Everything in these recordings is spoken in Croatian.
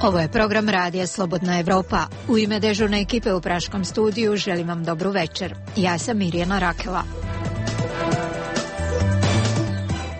Ovo je program Radija Slobodna Evropa. U ime dežurne ekipe u Praškom studiju želim vam dobru večer. Ja sam Mirjana Rakela.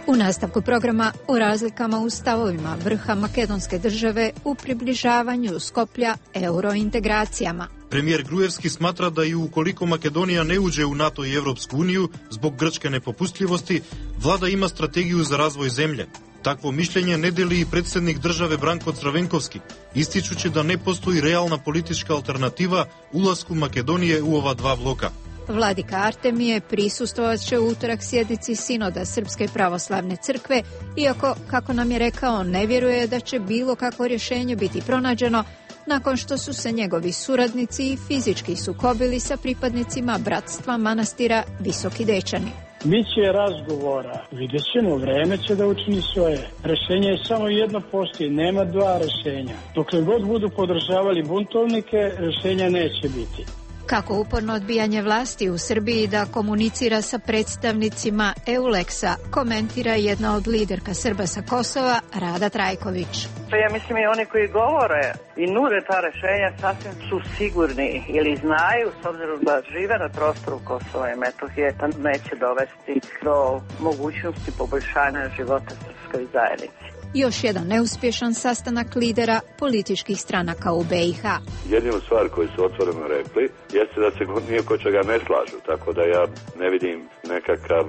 U nastavku programa o razlikama u stavovima vrha makedonske države u približavanju Skoplja eurointegracijama. Premijer Gruevski smatra da i ukoliko Makedonija ne uđe u NATO i Evropsku uniju zbog grčke nepopustljivosti, vlada ima strategiju za razvoj zemlje. Takvo mišljenje ne deli i predsjednik države Branko Crvenkovski, ističući da ne postoji realna politička alternativa ulasku Makedonije u ova dva bloka. Vladika Artemije prisustvovat će u utorak sjednici Sinoda Srpske pravoslavne crkve, iako, kako nam je rekao, ne vjeruje da će bilo kakvo rješenje biti pronađeno nakon što su se njegovi suradnici i fizički sukobili sa pripadnicima bratstva manastira Visoki Dečani. Biće razgovora, vidjet ćemo, vreme će da učini svoje. Rešenje je samo jedno, postoji, nema dva rešenja. Dokle god budu podržavali buntovnike, rešenja neće biti. Kako uporno odbijanje vlasti u Srbiji da komunicira sa predstavnicima EULEX-a, komentira jedna od liderka Srba sa Kosova, Rada Trajković. Ja mislim i oni koji govore i nude ta rešenja sasvim su sigurni ili znaju, s obzirom da žive na prostoru Kosova i Metohije, da neće dovesti do mogućnosti poboljšanja života srpskoj zajednici. Još jedan neuspješan sastanak lidera političkih stranaka u BiH. Jedinu stvar koju su otvoreno rekli jeste da se nije ko čega ne slažu, tako da ja ne vidim nekakav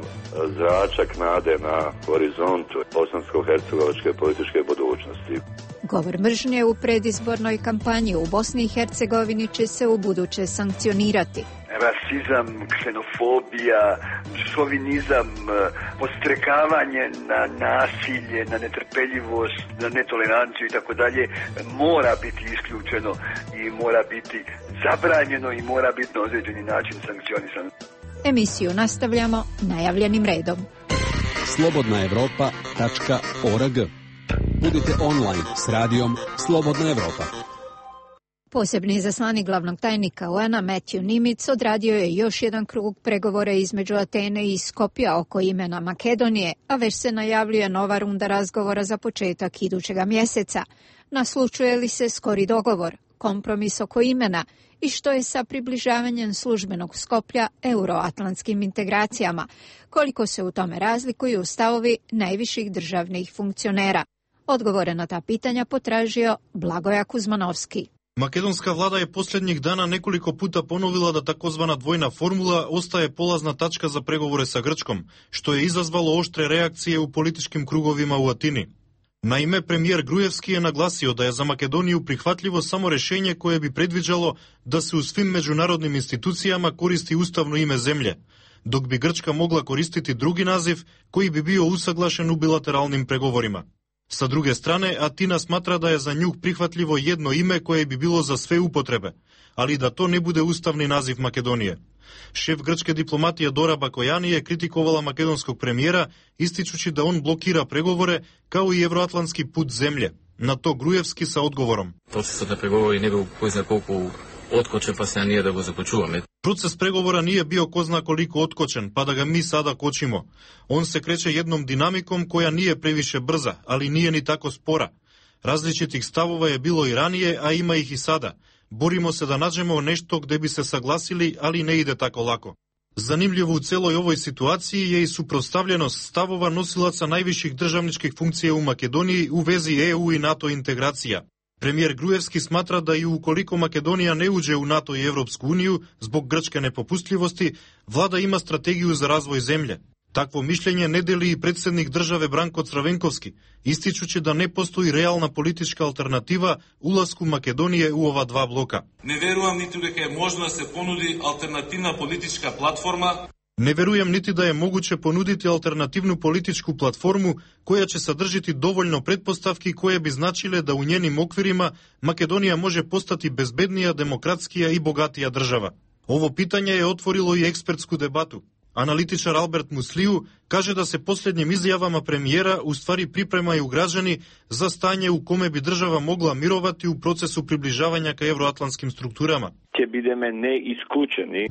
zračak nade na horizontu bosansko-hercegovačke političke budućnosti. Govor mržnje u predizbornoj kampanji u Bosni i Hercegovini će se u buduće sankcionirati. Rasizam, ksenofobija, šovinizam, podstrekavanje na nasilje, na netrpeljivost, na netoleranciju i tako dalje mora biti isključeno i mora biti zabranjeno i mora biti na određeni način sankcionisano. Emisiju nastavljamo najavljenim redom. slobodnaevropa.org. Budite online s radijom Slobodna Evropa. Posebni izaslanik glavnog tajnika UN-a Matthew Nimitz odradio je još jedan krug pregovora između Atene i Skopja oko imena Makedonije, a već se najavljuje nova runda razgovora za početak idućega mjeseca. Naslučuje li se skori dogovor, kompromis oko imena i što je sa približavanjem službenog Skoplja euroatlantskim integracijama, koliko se u tome razlikuju stavovi najviših državnih funkcionera? Odgovore na ta pitanja potražio Blagoja Kuzmanovski. Makedonska vlada je posljednjih dana nekoliko puta ponovila da takozvana dvojna formula ostaje polazna tačka za pregovore sa Grčkom, što je izazvalo oštre reakcije u političkim krugovima u Atini. Naime, premijer Gruevski je naglasio da je za Makedoniju prihvatljivo samo rješenje koje bi predviđalo da se u svim međunarodnim institucijama koristi ustavno ime zemlje, dok bi Grčka mogla koristiti drugi naziv koji bi bio usaglašen u bilateralnim pregovorima. Sa druge strane, Atina smatra da je za nju prihvatljivo jedno ime koje bi bilo za sve upotrebe, ali da to ne bude ustavni naziv Makedonije. Šef grčke diplomatije Dora Bakojani je kritikovala makedonskog premijera, ističući da on blokira pregovore kao i evroatlantski put zemlje. Na to Gruevski sa odgovorom. Proces na pregovori ne bil ko zna koliko otkočen, pa se nije da go započuvame. Proces pregovora nije bio ko zna koliko otkočen, pa da ga mi sada kočimo. On se kreće jednom dinamikom koja nije previše brza, ali nije ni tako spora. Različitih stavova je bilo i ranije, a ima ih i sada. Borimo se da nađemo nešto gdje bi se saglasili, ali ne ide tako lako. Zanimljivo u celoj ovoj situaciji je i suprotstavljenost stavova nosilaca najviših državničkih funkcija u Makedoniji u vezi EU i NATO integracija. Premijer Gruevski smatra da i ukoliko Makedonija ne uđe u NATO i Evropsku uniju zbog grčke nepopustljivosti, vlada ima strategiju za razvoj zemlje. Takvo mišljenje ne deli i predsjednik države Branko Crvenkovski, ističući da ne postoji realna politička alternativa ulasku Makedonije u ova dva bloka. Ne verujem niti da je možno da se ponudi alternativna politička platforma. Ne verujem niti da je moguće ponuditi alternativnu političku platformu koja će sadržiti dovoljno pretpostavki koje bi značile da u njenim okvirima Makedonija može postati bezbednija, demokratskija i bogatija država. Ovo pitanje je otvorilo i ekspertsku debatu. Analitičar Albert Musliju kaže da se posljednjim izjavama premijera u stvari pripremaju građani za stanje u kome bi država mogla mirovati u procesu približavanja ka evroatlantskim strukturama.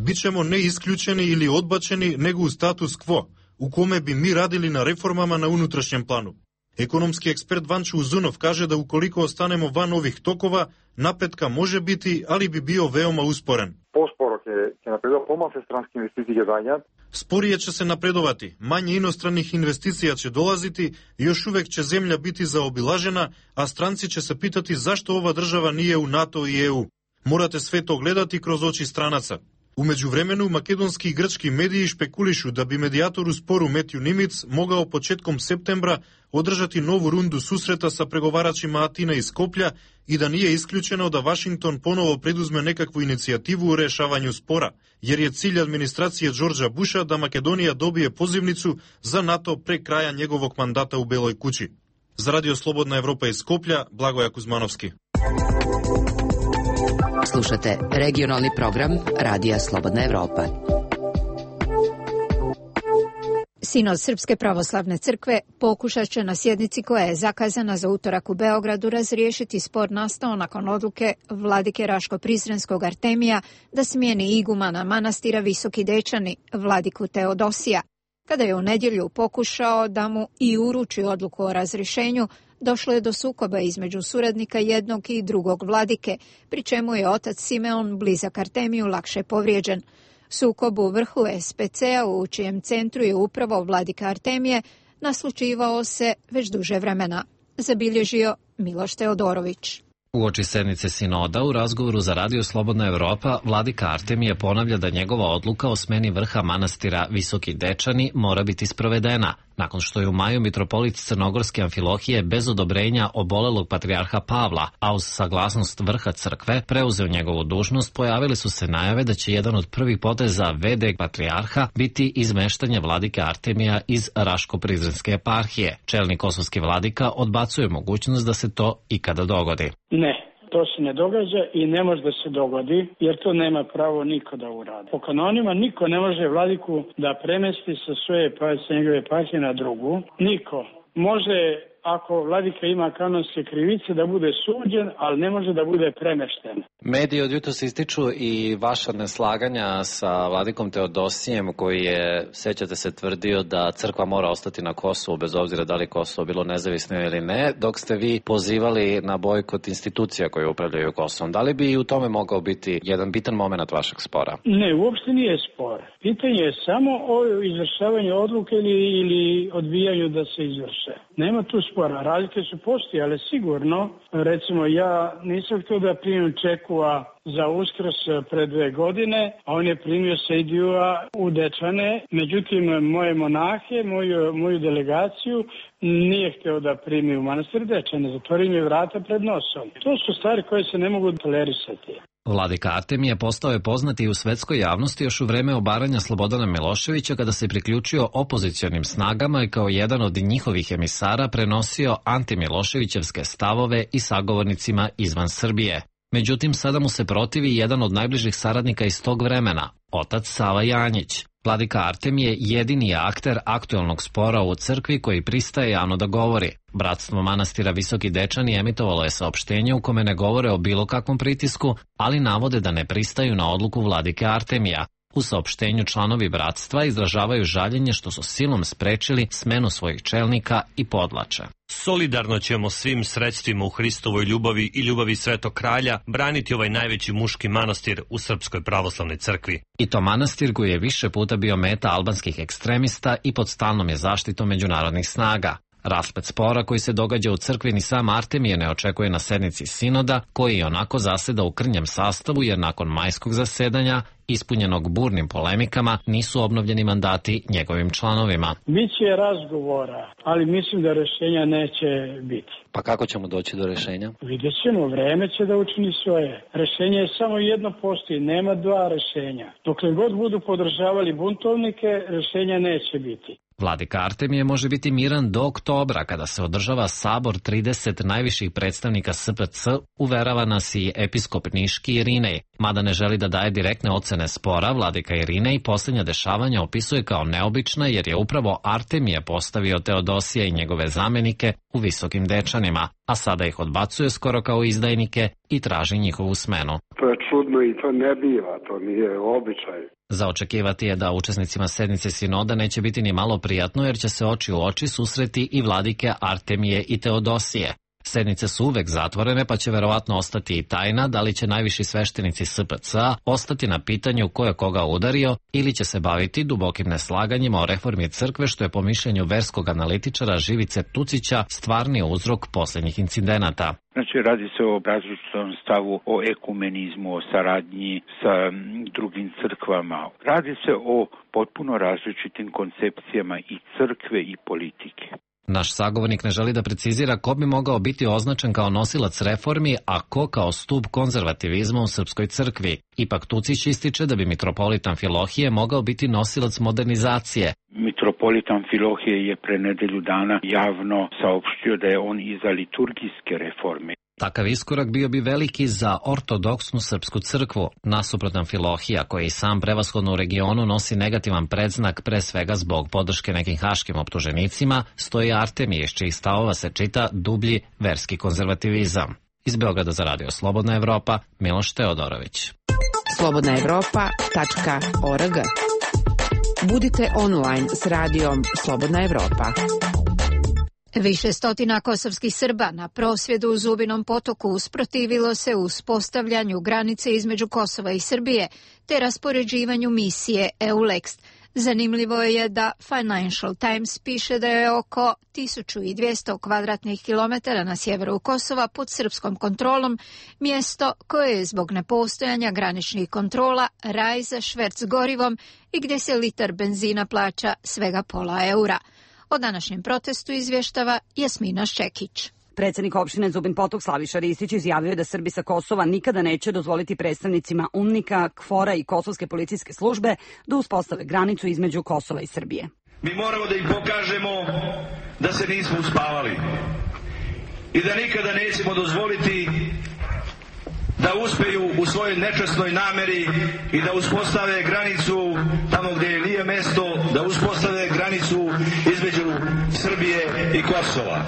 Bićemo ne isključeni ili odbačeni, nego u status quo, u kome bi mi radili na reformama na unutrašnjem planu. Економски експерт Ванчо Узунов каже да уколико останемо ван ових токова, напредка може бити, али би био веома успорен. Поспоро ќе напредува, помалку странски инвестиции ќе доаѓаат. Спорije će se napredovati, manje inostranih investicija će dolaziti, još uvek će zemlja biti zaobilažena, a stranci će se pitati zašto ova država nije u NATO i EU. Morate sve to gledati kroz oči stranaca. U međuvremenu, makedonski i grčki mediji špekulišu da bi medijator u sporu Metju Nimic mogao početkom septembra održati novu rundu susreta sa pregovaračima Atine i Skoplja i da nije isključeno da Vašington ponovo preduzme nekakvu inicijativu u rešavanju spora, jer je cilj administracije Đorđa Busha da Makedonija dobije pozivnicu za NATO pre kraja njegovog mandata u Beloj kući. Za Radio Slobodna Evropa iz Skoplja, Blagoja Kuzmanovski. Slušate regionalni program Radija Slobodna Evropa. Sinod Srpske pravoslavne crkve pokušat će na sjednici koja je zakazana za utorak u Beogradu razriješiti spor nastao nakon odluke vladike Raško-Prizrenskog Artemija da smijeni igumana manastira Visoki Dečani, vladiku Teodosija. Kada je u nedjelju pokušao da mu i uruči odluku o razrješenju, došlo je do sukoba između suradnika jednog i drugog vladike, pri čemu je otac Simeon, blizak Artemiju, lakše povrijeđen. Sukob u vrhu SPC-a, u čijem centru je upravo vladika Artemije, naslučivao se već duže vremena, zabilježio Miloš Teodorović. Uoči sednice sinoda u razgovoru za Radio Slobodna Evropa, vladika Artemije ponavlja da njegova odluka o smeni vrha manastira Visoki Dečani mora biti sprovedena. Nakon što je u maju mitropolit Crnogorske Amfilohije bez odobrenja obolelog patrijarha Pavla, a uz saglasnost vrha crkve preuzeo njegovu dužnost, pojavili su se najave da će jedan od prvih poteza v.d. patrijarha biti izmeštanje vladike Artemija iz Raško-Prizrenske eparhije. Čelni kosovski vladika odbacuje mogućnost da se to ikada dogodi. Ne. To se ne događa i ne može da se dogodi, jer to nema pravo niko da uradi. Po kanonima niko ne može vladiku da premesti sa svoje njegove eparhije na drugu. Niko. Može, ako vladika ima kanonske krivice, da bude suđen, ali ne može da bude premešten. Mediji od jutros ističu i vaša neslaganja sa vladikom Teodosijem, koji je, sećate se, tvrdio da crkva mora ostati na Kosovu, bez obzira da li Kosovo bilo nezavisno ili ne, dok ste vi pozivali na bojkot institucija koje upravljaju Kosovom. Da li bi i u tome mogao biti jedan bitan moment vašeg spora? Ne, uopšte nije spor. Pitanje je samo o izvršavanju odluke ili odbijanju da se izvrše. Nema tu spora. Razlike su postojale sigurno. Recimo, ja nisam htio da primim Čekua za Uskrs pre 2 godine, a on je primio Sejdijua u Dečane. Međutim, moje monahe, moju delegaciju nije htio da primi u manastir Dečane. Zatvorio mi vrata pred nosom. To su stvari koje se ne mogu tolerisati. Vladika Artemije postao je poznat i u svetskoj javnosti još u vreme obaranja Slobodana Miloševića, kada se priključio opozicionim snagama i kao jedan od njihovih emisara prenosio antimiloševićevske stavove i sagovornicima izvan Srbije. Međutim, sada mu se protivi jedan od najbližih saradnika iz tog vremena, otac Sava Janjić. Vladika Artemije jedini je akter aktuelnog spora u crkvi koji pristaje javno da govori. Bratstvo manastira Visoki Dečani emitovalo je saopštenje u kome ne govore o bilo kakvom pritisku, ali navode da ne pristaju na odluku vladike Artemija. U saopštenju članovi bratstva izražavaju žaljenje što su silom sprečili smenu svojih čelnika i podvlače. Solidarno ćemo svim sredstvima u Hristovoj ljubavi i ljubavi Svetog Kralja braniti ovaj najveći muški manastir u Srpskoj pravoslavnoj crkvi. I to manastir koji je više puta bio meta albanskih ekstremista i pod stalnom je zaštitom međunarodnih snaga. Rasplet spora koji se događa u crkvi ni sam Artemije ne očekuje na sednici sinoda, koji je onako zaseda u krnjem sastavu, jer nakon majskog zasedanja, ispunjenog burnim polemikama, nisu obnovljeni mandati njegovim članovima. Biće razgovora, ali mislim da rješenja neće biti. Pa kako ćemo doći do rješenja? Vidjet ćemo, vreme će da učini svoje. Rješenje je samo jedno postoji, nema dva rješenja. Dokle god budu podržavali buntovnike, rješenja neće biti. Vladika Artemije može biti miran do oktobra, kada se održava sabor 30 najviših predstavnika SPC, uverava nas i episkop Niški Irinej. Mada ne želi da daje direktne ocene spora, vladika Irinej posljednja dešavanja opisuje kao neobična jer je upravo Artemije postavio Teodosija i njegove zamenike u Visokim Dečanima, a sada ih odbacuje skoro kao izdajnike i traži njihovu smenu. To je čudno i to ne biva, to nije običaj. Za očekivati je da učesnicima sednice sinoda neće biti ni malo prijatno jer će se oči u oči susreti i vladike Artemije i Teodosije. Sednice su uvek zatvorene, pa će verovatno ostati i tajna da li će najviši sveštenici SPC-a ostati na pitanju ko je koga udario ili će se baviti dubokim neslaganjima o reformi crkve, što je po mišljenju verskog analitičara Živice Tucića stvarni uzrok posljednjih incidenata. Znači, radi se o različitom stavu, o ekumenizmu, o saradnji sa drugim crkvama. Radi se o potpuno različitim koncepcijama i crkve i politike. Naš sagovornik ne želi da precizira ko bi mogao biti označen kao nosilac reformi, a ko kao stub konzervativizma u srpskoj crkvi. Ipak Tucić ističe da bi mitropolita Amfilohije mogao biti nosilac modernizacije. Mitropolita Amfilohije je pre nedelju dana javno saopštio da je on i za liturgijske reforme. Takav iskorak bio bi veliki za ortodoksnu srpsku crkvu. Nasuprot Amfilohija, koji sam prevashodno u regionu nosi negativan predznak pre svega zbog podrške nekim haškim optuženicima, stoji Artemije, iz čijih stavova se čita dublji verski konzervativizam. Iz Beograda za Radio Slobodna Evropa, Miloš Teodorović. slobodnaevropa.org. Budite online s radijom Slobodna Evropa. Više stotina kosovskih Srba na prosvjedu u Zubinom Potoku usprotivilo se uspostavljanju granice između Kosova i Srbije te raspoređivanju misije EULEX. Zanimljivo je da Financial Times piše da je oko 1200 kvadratnih kilometara na sjeveru Kosova pod srpskom kontrolom mjesto koje je zbog nepostojanja graničnih kontrola raj za šverc gorivom i gdje se litar benzina plaća svega €0,5. O današnjem protestu izvještava Jasmina Ščekić. Predsjednik opštine Zubin Potok Slaviša Ristić izjavio je da Srbi sa Kosova nikada neće dozvoliti predstavnicima UNMIK-a, KFOR-a i Kosovske policijske službe da uspostave granicu između Kosova i Srbije. Mi moramo da im pokažemo da se nismo uspavali i da nikada nećemo dozvoliti da uspeju u svojoj nečasnoj nameri i da uspostave granicu tamo gdje nije mesto, da uspostave granicu između Srbije i Kosova.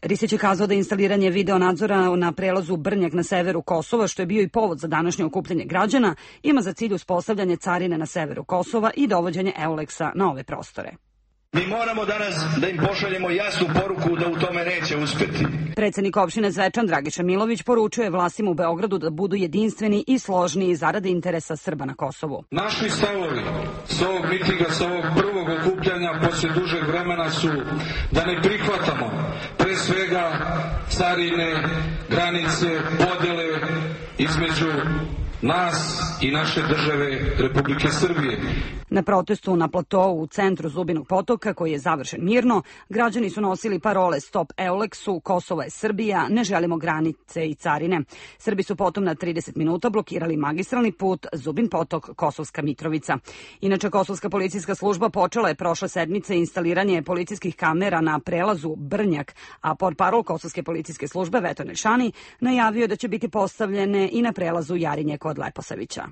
Ristić je kazao da instaliranje video nadzora na prelazu Brnjak na severu Kosova, što je bio i povod za današnje okupljanje građana, ima za cilj uspostavljanje carine na severu Kosova i dovođenje EULEX-a na ove prostore. Mi moramo danas da im pošaljemo jasnu poruku da u tome neće uspjeti. Predsjednik opštine Zvečan Dragiša Milović poručuje vlastima u Beogradu da budu jedinstveni i složni zarade interesa Srba na Kosovu. Naši stavovi s ovog mitinga, s ovog prvog okupljanja poslije dužeg vremena su da ne prihvatamo pre svega carine, granice, podjele između nas i naše države Republike Srbije. Na protestu na platovu u centru Zubinog Potoka, koji je završen mirno, građani su nosili parole Stop EULEX-u, Kosovo je Srbija, ne želimo granice i carine. Srbi su potom na 30 minuta blokirali magistralni put Zubin Potok, Kosovska Mitrovica. Inače, Kosovska policijska služba počela je prošle sedmice instaliranje policijskih kamera na prelazu Brnjak, a portparol Kosovske policijske službe Veto Nelšani najavio da će biti postavljene i na prelazu Jarinje kod Leposavića.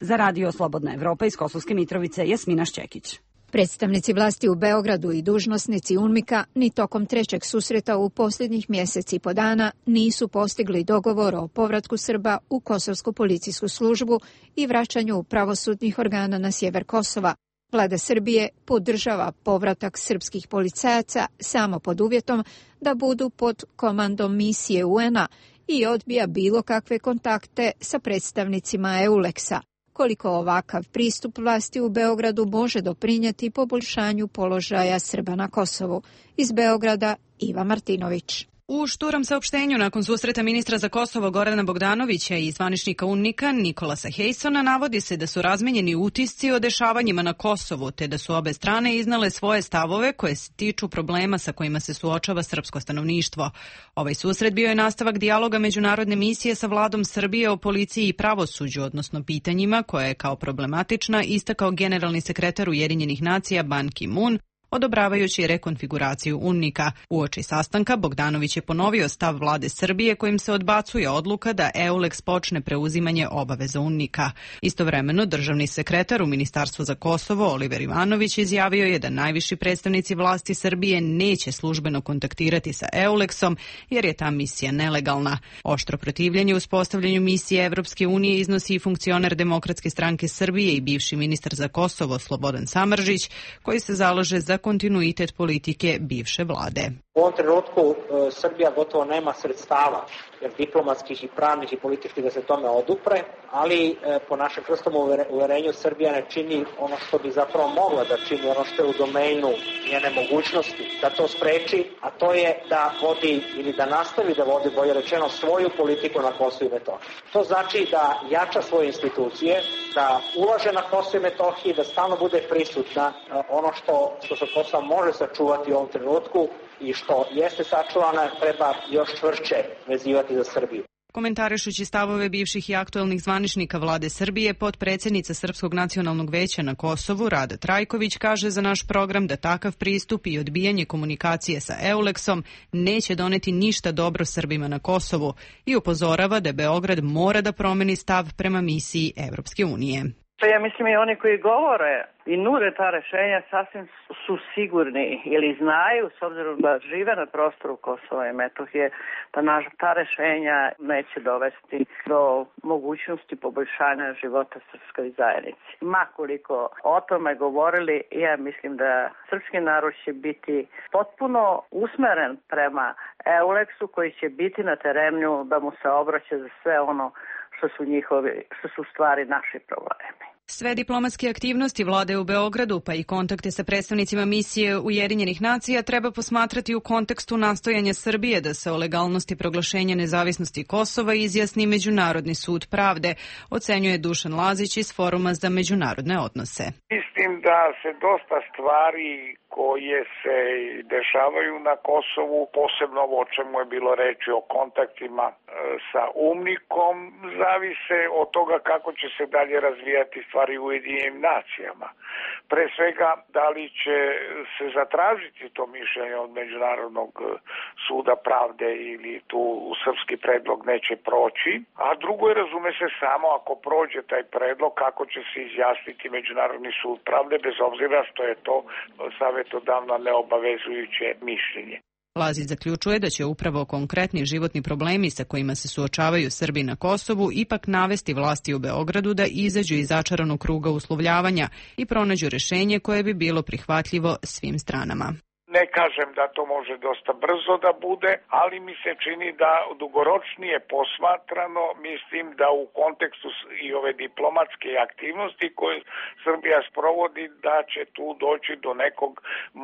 Za Radio Slobodna Evropa iz Kosovske Mitrovice, Jasmina Ščekić. Predstavnici vlasti u Beogradu i dužnosnici UNMIK-a ni tokom trećeg susreta u posljednjih mjeseci i po dana nisu postigli dogovor o povratku Srba u Kosovsku policijsku službu i vraćanju pravosudnih organa na sjever Kosova. Vlada Srbije podržava povratak srpskih policajaca samo pod uvjetom da budu pod komandom misije UN-a i odbija bilo kakve kontakte sa predstavnicima EULEX-a. Koliko ovakav pristup vlasti u Beogradu može doprinijeti poboljšanju položaja Srba na Kosovu. Iz Beograda, Iva Martinović. U šturom saopštenju nakon susreta ministra za Kosovo Gorana Bogdanovića i zvaničnika UNMIK-a Nikolasa Hejsona navodi se da su razmenjeni utisci o dešavanjima na Kosovu, te da su obe strane iznale svoje stavove koje se tiču problema sa kojima se suočava srpsko stanovništvo. Ovaj susret bio je nastavak dijaloga međunarodne misije sa vladom Srbije o policiji i pravosuđu, odnosno pitanjima koje je kao problematična istakao generalni sekretar Ujedinjenih nacija Ban Ki-moon odobravajući rekonfiguraciju UNMIK-a. Uoči sastanka Bogdanović je ponovio stav vlade Srbije kojim se odbacuje odluka da EULEX počne preuzimanje obaveza UNMIK-a. Istovremeno, državni sekretar u Ministarstvu za Kosovo Oliver Ivanović izjavio je da najviši predstavnici vlasti Srbije neće službeno kontaktirati sa EULEX-om jer je ta misija nelegalna. Oštro protivljenje uspostavljanju misije Evropske unije iznosi i funkcioner Demokratske stranke Srbije i bivši ministar za Kosovo Slobodan Samardžić, koji se zalaže za kontinuitet politike bivše vlade. U ovom trenutku Srbija gotovo nema sredstava, jer diplomatskih i pravnih i političkih da se tome odupre, ali po našem čvrstom uverenju Srbija ne čini ono što bi zapravo mogla da čini, ono što je u domenu njene mogućnosti, da to spreči, a to je da vodi ili da nastavi da vodi, bolje rečeno, svoju politiku na Kosovu i Metohiji. To znači da jača svoje institucije, da ulaže na Kosovu i Metohiji, da stalno bude prisutna. Ono što se Kosovo može sačuvati u ovom trenutku i što jeste sačuvana, treba još čvršće vezivati za Srbiju. Komentarišući stavove bivših i aktuelnih zvaničnika vlade Srbije, potpredsjednica Srpskog nacionalnog veća na Kosovu Rada Trajković kaže za naš program da takav pristup i odbijanje komunikacije sa EULEX-om neće doneti ništa dobro Srbima na Kosovu i upozorava da Beograd mora da promeni stav prema misiji Evropske unije. Ja mislim i oni koji govore i nude ta rešenja sasvim su sigurni ili znaju, s obzirom da žive na prostoru Kosova i Metohije, da ta rešenja neće dovesti do mogućnosti poboljšanja života srpskoj zajednici. Makoliko o tome govorili, ja mislim da srpski narod će biti potpuno usmeren prema EULEX-u koji će biti na terenu da mu se obraća za sve ono što su stvari naši problemi. Sve diplomatske aktivnosti vlade u Beogradu, pa i kontakte sa predstavnicima misije Ujedinjenih nacija treba posmatrati u kontekstu nastojanja Srbije da se o legalnosti proglašenja nezavisnosti Kosova izjasni Međunarodni sud pravde, ocenjuje Dušan Lazić iz Foruma za međunarodne odnose. Mislim da se dosta stvari koje se dešavaju na Kosovu, posebno ovo o čemu je bilo reči o kontaktima sa UNMIK-om, zavise od toga kako će se dalje razvijati stvari u Ujedinjenim nacijama. Pre svega, da li će se zatražiti to mišljenje od Međunarodnog suda pravde ili tu srpski predlog neće proći, a drugo je, razume se, samo ako prođe taj predlog kako će se izjasniti Međunarodni sud pravde, bez obzira što je to savjetodavno neobavezujuće mišljenje. Lazić zaključuje da će upravo konkretni životni problemi sa kojima se suočavaju Srbi na Kosovu ipak navesti vlasti u Beogradu da izađu iz začaranog kruga uslovljavanja i pronađu rešenje koje bi bilo prihvatljivo svim stranama. Ne kažem da to može dosta brzo da bude, ali mi se čini da dugoročnije posmatrano, mislim da u kontekstu i ove diplomatske aktivnosti koje Srbija sprovodi, da će tu doći do nekog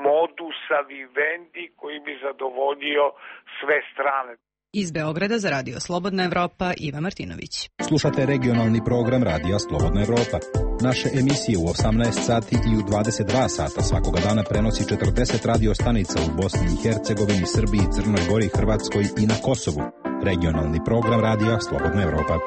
modusa vivendi koji bi zadovoljio sve strane. Iz Beograda za Radio Slobodna Evropa, Iva Martinović. Slušate regionalni program Radija Slobodna Evropa. Naše emisije u 18 sati i u 22 sata svakoga dana prenosi 40 radio stanica u Bosni i Hercegovini, Srbiji, Crnoj Gori, Hrvatskoj i na Kosovu. Regionalni program Radija Slobodna Evropa.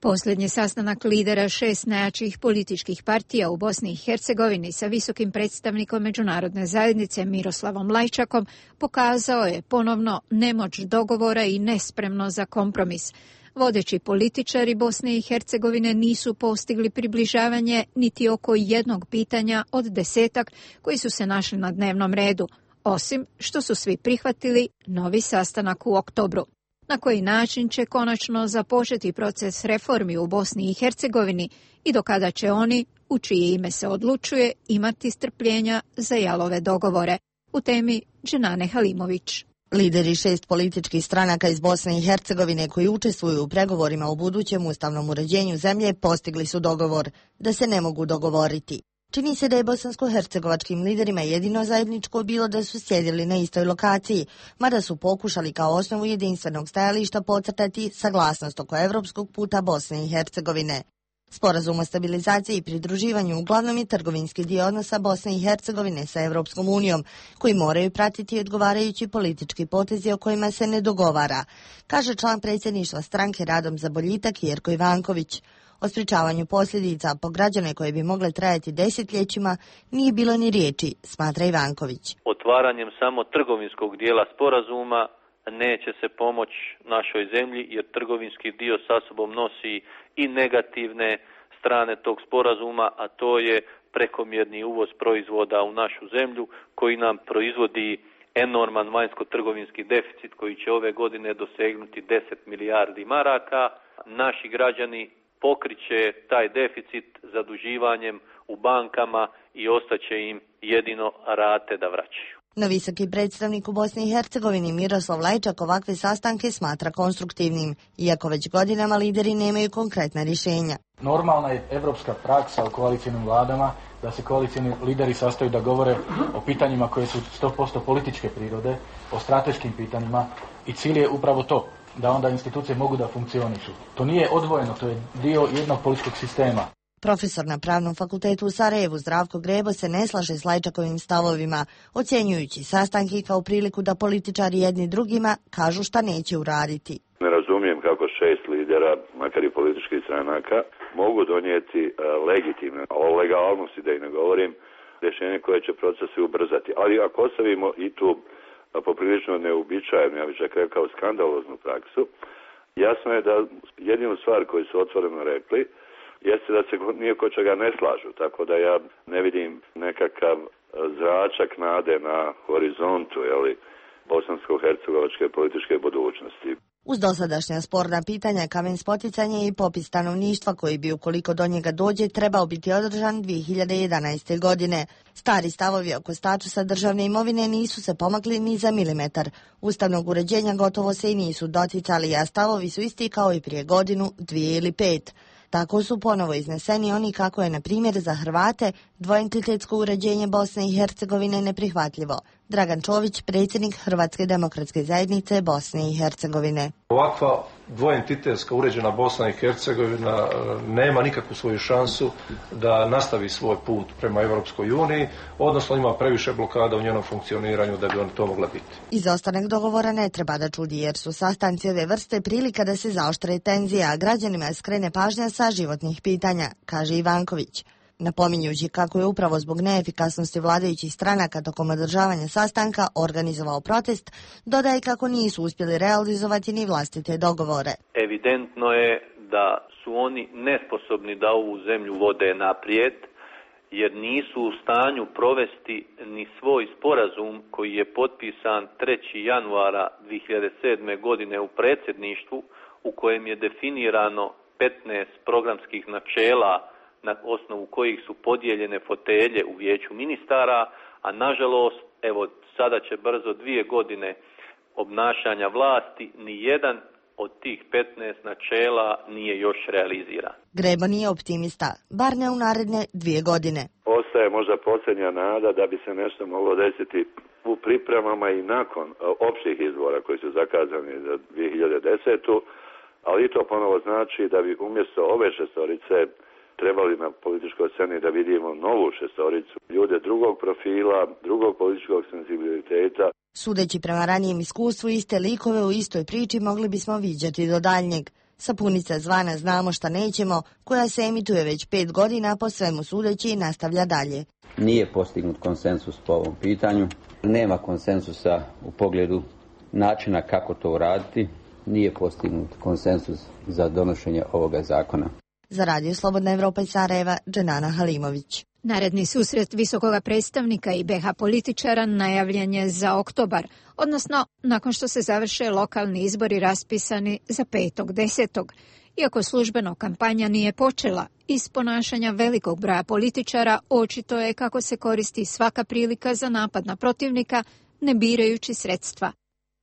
Posljednji sastanak lidera 6 najjačih političkih partija u Bosni i Hercegovini sa visokim predstavnikom međunarodne zajednice Miroslavom Lajčakom pokazao je ponovno nemoć dogovora i nespremno za kompromis. Vodeći političari Bosne i Hercegovine nisu postigli približavanje niti oko jednog pitanja od 10 koji su se našli na dnevnom redu, osim što su svi prihvatili novi sastanak u oktobru. Na koji način će konačno započeti proces reformi u Bosni i Hercegovini i do kada će oni, u čije ime se odlučuje, imati strpljenja za jalove dogovore. U temi Dženane Halimović. Lideri 6 političkih stranaka iz Bosne i Hercegovine koji učestvuju u pregovorima o budućem ustavnom uređenju zemlje postigli su dogovor da se ne mogu dogovoriti. Čini se da je bosansko-hercegovačkim liderima jedino zajedničko bilo da su sjedili na istoj lokaciji, mada su pokušali kao osnovu jedinstvenog stajališta podcrtati saglasnost oko evropskog puta Bosne i Hercegovine. Sporazum o stabilizaciji i pridruživanju uglavnom je trgovinski dio odnosa Bosne i Hercegovine sa Evropskom unijom, koji moraju pratiti odgovarajući politički potezi o kojima se ne dogovara, kaže član predsjedništva stranke Radom za boljitak Jerko Ivanković. O sprečavanju posljedica po građane koje bi mogle trajati desetljećima nije bilo ni riječi, smatra Ivanković. Otvaranjem samo trgovinskog dijela sporazuma neće se pomoći našoj zemlji, jer trgovinski dio sa sobom nosi i negativne strane tog sporazuma, a to je prekomjerni uvoz proizvoda u našu zemlju koji nam proizvodi enorman vanjsko-trgovinski deficit koji će ove godine dosegnuti 10 milijardi maraka. Naši građani pokriće taj deficit zaduživanjem u bankama i ostaće im jedino rate da vraćaju. No visoki predstavnik u Bosni i Hercegovini Miroslav Lajčak ovakve sastanke smatra konstruktivnim, iako već godinama lideri nemaju konkretna rješenja. Normalna je evropska praksa u koalicijnim vladama da se koalicijni lideri sastaju da govore o pitanjima koje su 100% političke prirode, o strateškim pitanjima i cilj je upravo to, da onda institucije mogu da funkcionišu. To nije odvojeno, to je dio jednog političkog sistema. Profesor na Pravnom fakultetu u Sarajevu Zdravko Grebo se ne slaže s Lajčakovim stavovima, ocjenjujući sastanke kao priliku da političari jedni drugima kažu šta neće uraditi. Ne razumijem kako 6 lidera, makar i političkih stranaka, mogu donijeti legitimne, o legalnosti da i ne govorim, rješenje koje će procese ubrzati. Ali ako ostavimo i tu poprilično neuobičajenu, ja bih čak rekao skandaloznu praksu, jasno je da jedinu stvar koju su otvoreno rekli jeste da se nije ko čega ne slažu, tako da ja ne vidim nekakav zračak nade na horizontu bosansko-hercegovačke političke budućnosti. Uz dosadašnja sporna pitanja kamen spoticanja i popis stanovništva koji bi, ukoliko do njega dođe, trebao biti održan 2011. godine. Stari stavovi oko statusa državne imovine nisu se pomakli ni za milimetar. Ustavnog uređenja gotovo se i nisu doticali, a stavovi su isti kao i prije godinu, 2 ili 5. Tako su ponovo izneseni oni kako je, na primjer, za Hrvate dvoentitetsko uređenje Bosne i Hercegovine neprihvatljivo. Dragan Čović, predsjednik Hrvatske demokratske zajednice Bosne i Hercegovine. Ovakva dvoentitetska uređena Bosna i Hercegovina nema nikakvu svoju šansu da nastavi svoj put prema Europskoj uniji, odnosno ima previše blokada u njenom funkcioniranju da bi on to mogla biti. Izostanak dogovora ne treba da čudi, jer su sastanci ove vrste prilika da se zaoštre tenzije, a građanima skrene pažnja sa životnih pitanja, kaže Ivanković. Napominjući kako je upravo zbog neefikasnosti vladajućih stranaka tokom održavanja sastanka organizovao protest, dodaje kako nisu uspjeli realizovati ni vlastite dogovore. Evidentno je da su oni nesposobni da ovu zemlju vode naprijed, jer nisu u stanju provesti ni svoj sporazum koji je potpisan 3. januara 2007. godine u predsjedništvu, u kojem je definirano 15 programskih načela na osnovu kojih su podijeljene fotelje u vijeću ministara, a nažalost, evo sada će brzo 2 godine obnašanja vlasti, ni jedan od tih 15 načela nije još realiziran. Grebo nije optimista, bar ne u naredne 2 godine. Ostaje možda posljednja nada da bi se nešto moglo desiti u pripremama i nakon općih izbora koji su zakazani za 2010. Ali i to ponovo znači da bi umjesto ove 6 trebali na političkoj sceni da vidimo novu 6, ljude drugog profila, drugog političkog senzibiliteta. Sudeći prema ranijem iskustvu, iste likove u istoj priči mogli bismo viđati do daljnjeg. Sapunica zvana Znamo šta nećemo, koja se emituje već 5 godina, po svemu sudeći i nastavlja dalje. Nije postignut konsensus po ovom pitanju, nema konsensusa u pogledu načina kako to uraditi, nije postignut konsensus za donošenje ovoga zakona. Za Radio Slobodna Evropa iz Sarajeva, Dženana Halimović. Naredni susret visokoga predstavnika i BiH političara najavljen je za oktobar, odnosno nakon što se završe lokalni izbori raspisani za 5.10. Iako službeno kampanja nije počela, iz ponašanja velikog broja političara očito je kako se koristi svaka prilika za napad na protivnika, ne birajući sredstva.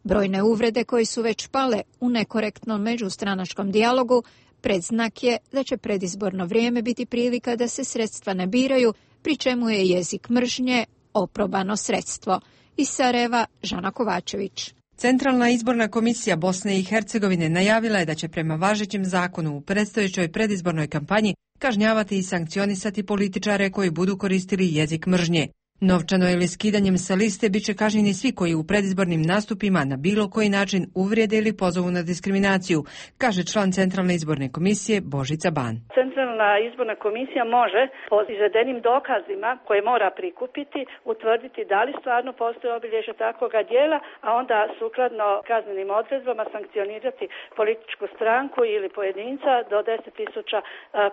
Brojne uvrede koje su već pale u nekorektnom međustranačkom dijalogu predznak je da će predizborno vrijeme biti prilika da se sredstva ne biraju, pri čemu je jezik mržnje oprobano sredstvo. Iz Sarajeva, Žana Kovačević. Centralna izborna komisija Bosne i Hercegovine najavila je da će prema važećem zakonu u predstojećoj predizbornoj kampanji kažnjavati i sankcionisati političare koji budu koristili jezik mržnje. Novčano ili skidanjem sa liste biće kažnjeni svi koji u predizbornim nastupima na bilo koji način uvrijede ili pozovu na diskriminaciju, kaže član Centralne izborne komisije Božica Ban. Centralna izborna komisija može po izvedenim dokazima koje mora prikupiti utvrditi da li stvarno postoje obilježja takvoga dijela, a onda sukladno kaznenim odredbama sankcionirati političku stranku ili pojedinca do 10.000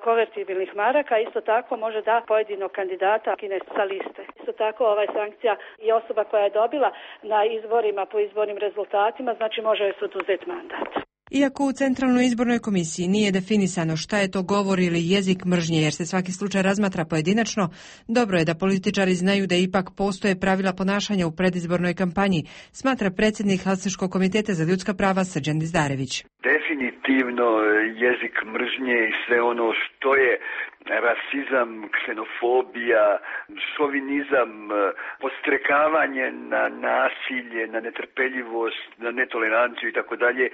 konvertibilnih maraka. Isto tako može da pojedinog kandidata skine sa liste. Isto tako sankcija i osoba koja je dobila na izborima po izbornim rezultatima, znači može joj se oduzeti mandat. Iako u Centralnoj izbornoj komisiji nije definisano šta je to govor ili jezik mržnje, jer se svaki slučaj razmatra pojedinačno, dobro je da političari znaju da ipak postoje pravila ponašanja u predizbornoj kampanji, smatra predsjednik Helsinškog komiteta za ljudska prava Srđan Dizdarević. Definitivno jezik mržnje i sve ono što je rasizam, ksenofobija, šovinizam, podstrekavanje na nasilje, na netrpeljivost, na netoleranciju i tako dalje,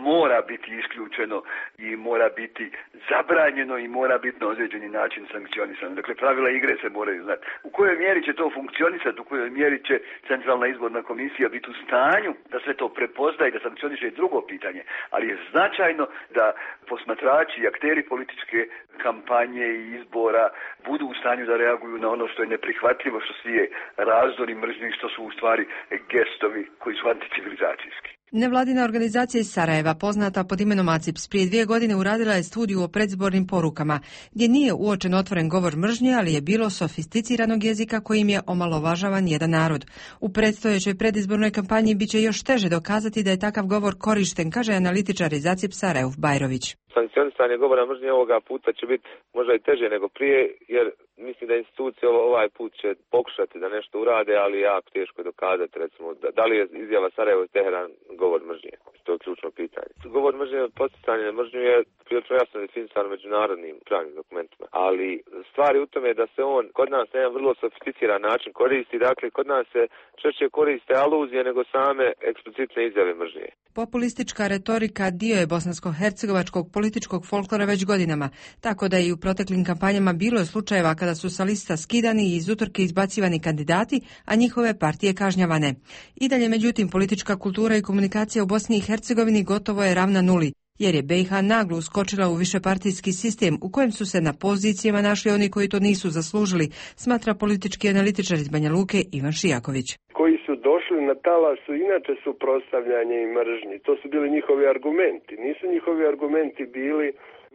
mora biti isključeno i mora biti zabranjeno i mora biti na određeni način sankcionisano. Dakle, pravila igre se moraju znati. U kojoj mjeri će to funkcionisati, u kojoj mjeri će Centralna izborna komisija biti u stanju da sve to prepozna i da sankcioniše i drugo pitanje, ali je značajno da posmatrači i akteri političke kampanje i izbora budu u stanju da reaguju na ono što je neprihvatljivo, što svi je razdori mržnje, što su u stvari gestovi koji su anticivilizacijski. Nevladina organizacija iz Sarajeva, poznata pod imenom ACIPS, prije 2 godine uradila je studiju o predizbornim porukama, gdje nije uočen otvoren govor mržnje, ali je bilo sofisticiranog jezika kojim je omalovažavan jedan narod. U predstojećoj predizbornoj kampanji bit će još teže dokazati da je takav govor korišten, kaže analitičar iz ACIPS-a Rauf Bajrović. Sankcionisanje govora mržnje ovoga puta će biti možda i teže nego prije, jer mislim da institucije ovaj put će pokušati da nešto urade, ali jako teško je dokazati, recimo, da li je izjava Sarajevo i Teheran govor mržnje. To je ključno pitanje. Govor mržnje od podsticanja na mržnju je prilično jasno definisan međunarodnim pravnim dokumentima, ali stvar je u tome da se on kod nas na jedan vrlo sofisticiran način koristi, dakle kod nas se češće koriste aluzije nego same eksplicitne izjave mržnje. Populistička retorika dio je bosansko-hercegovačkog političkog folklora već godinama, tako da i u proteklim kampanjama bilo je slučajeva kada su sa lista skidani i iz utrke izbacivani kandidati, a njihove partije kažnjavane. I dalje, međutim, politička kultura i komunikacija u Bosni i Hercegovini gotovo je ravna nuli, jer je BiH naglo uskočila u višepartijski sistem u kojem su se na pozicijama našli oni koji to nisu zaslužili, smatra politički analitičar iz Banja Luke Ivan Šijaković. Koji su došli na talasu inače suprotstavljanje i mržnji. To su bili njihovi argumenti. Nisu njihovi argumenti bili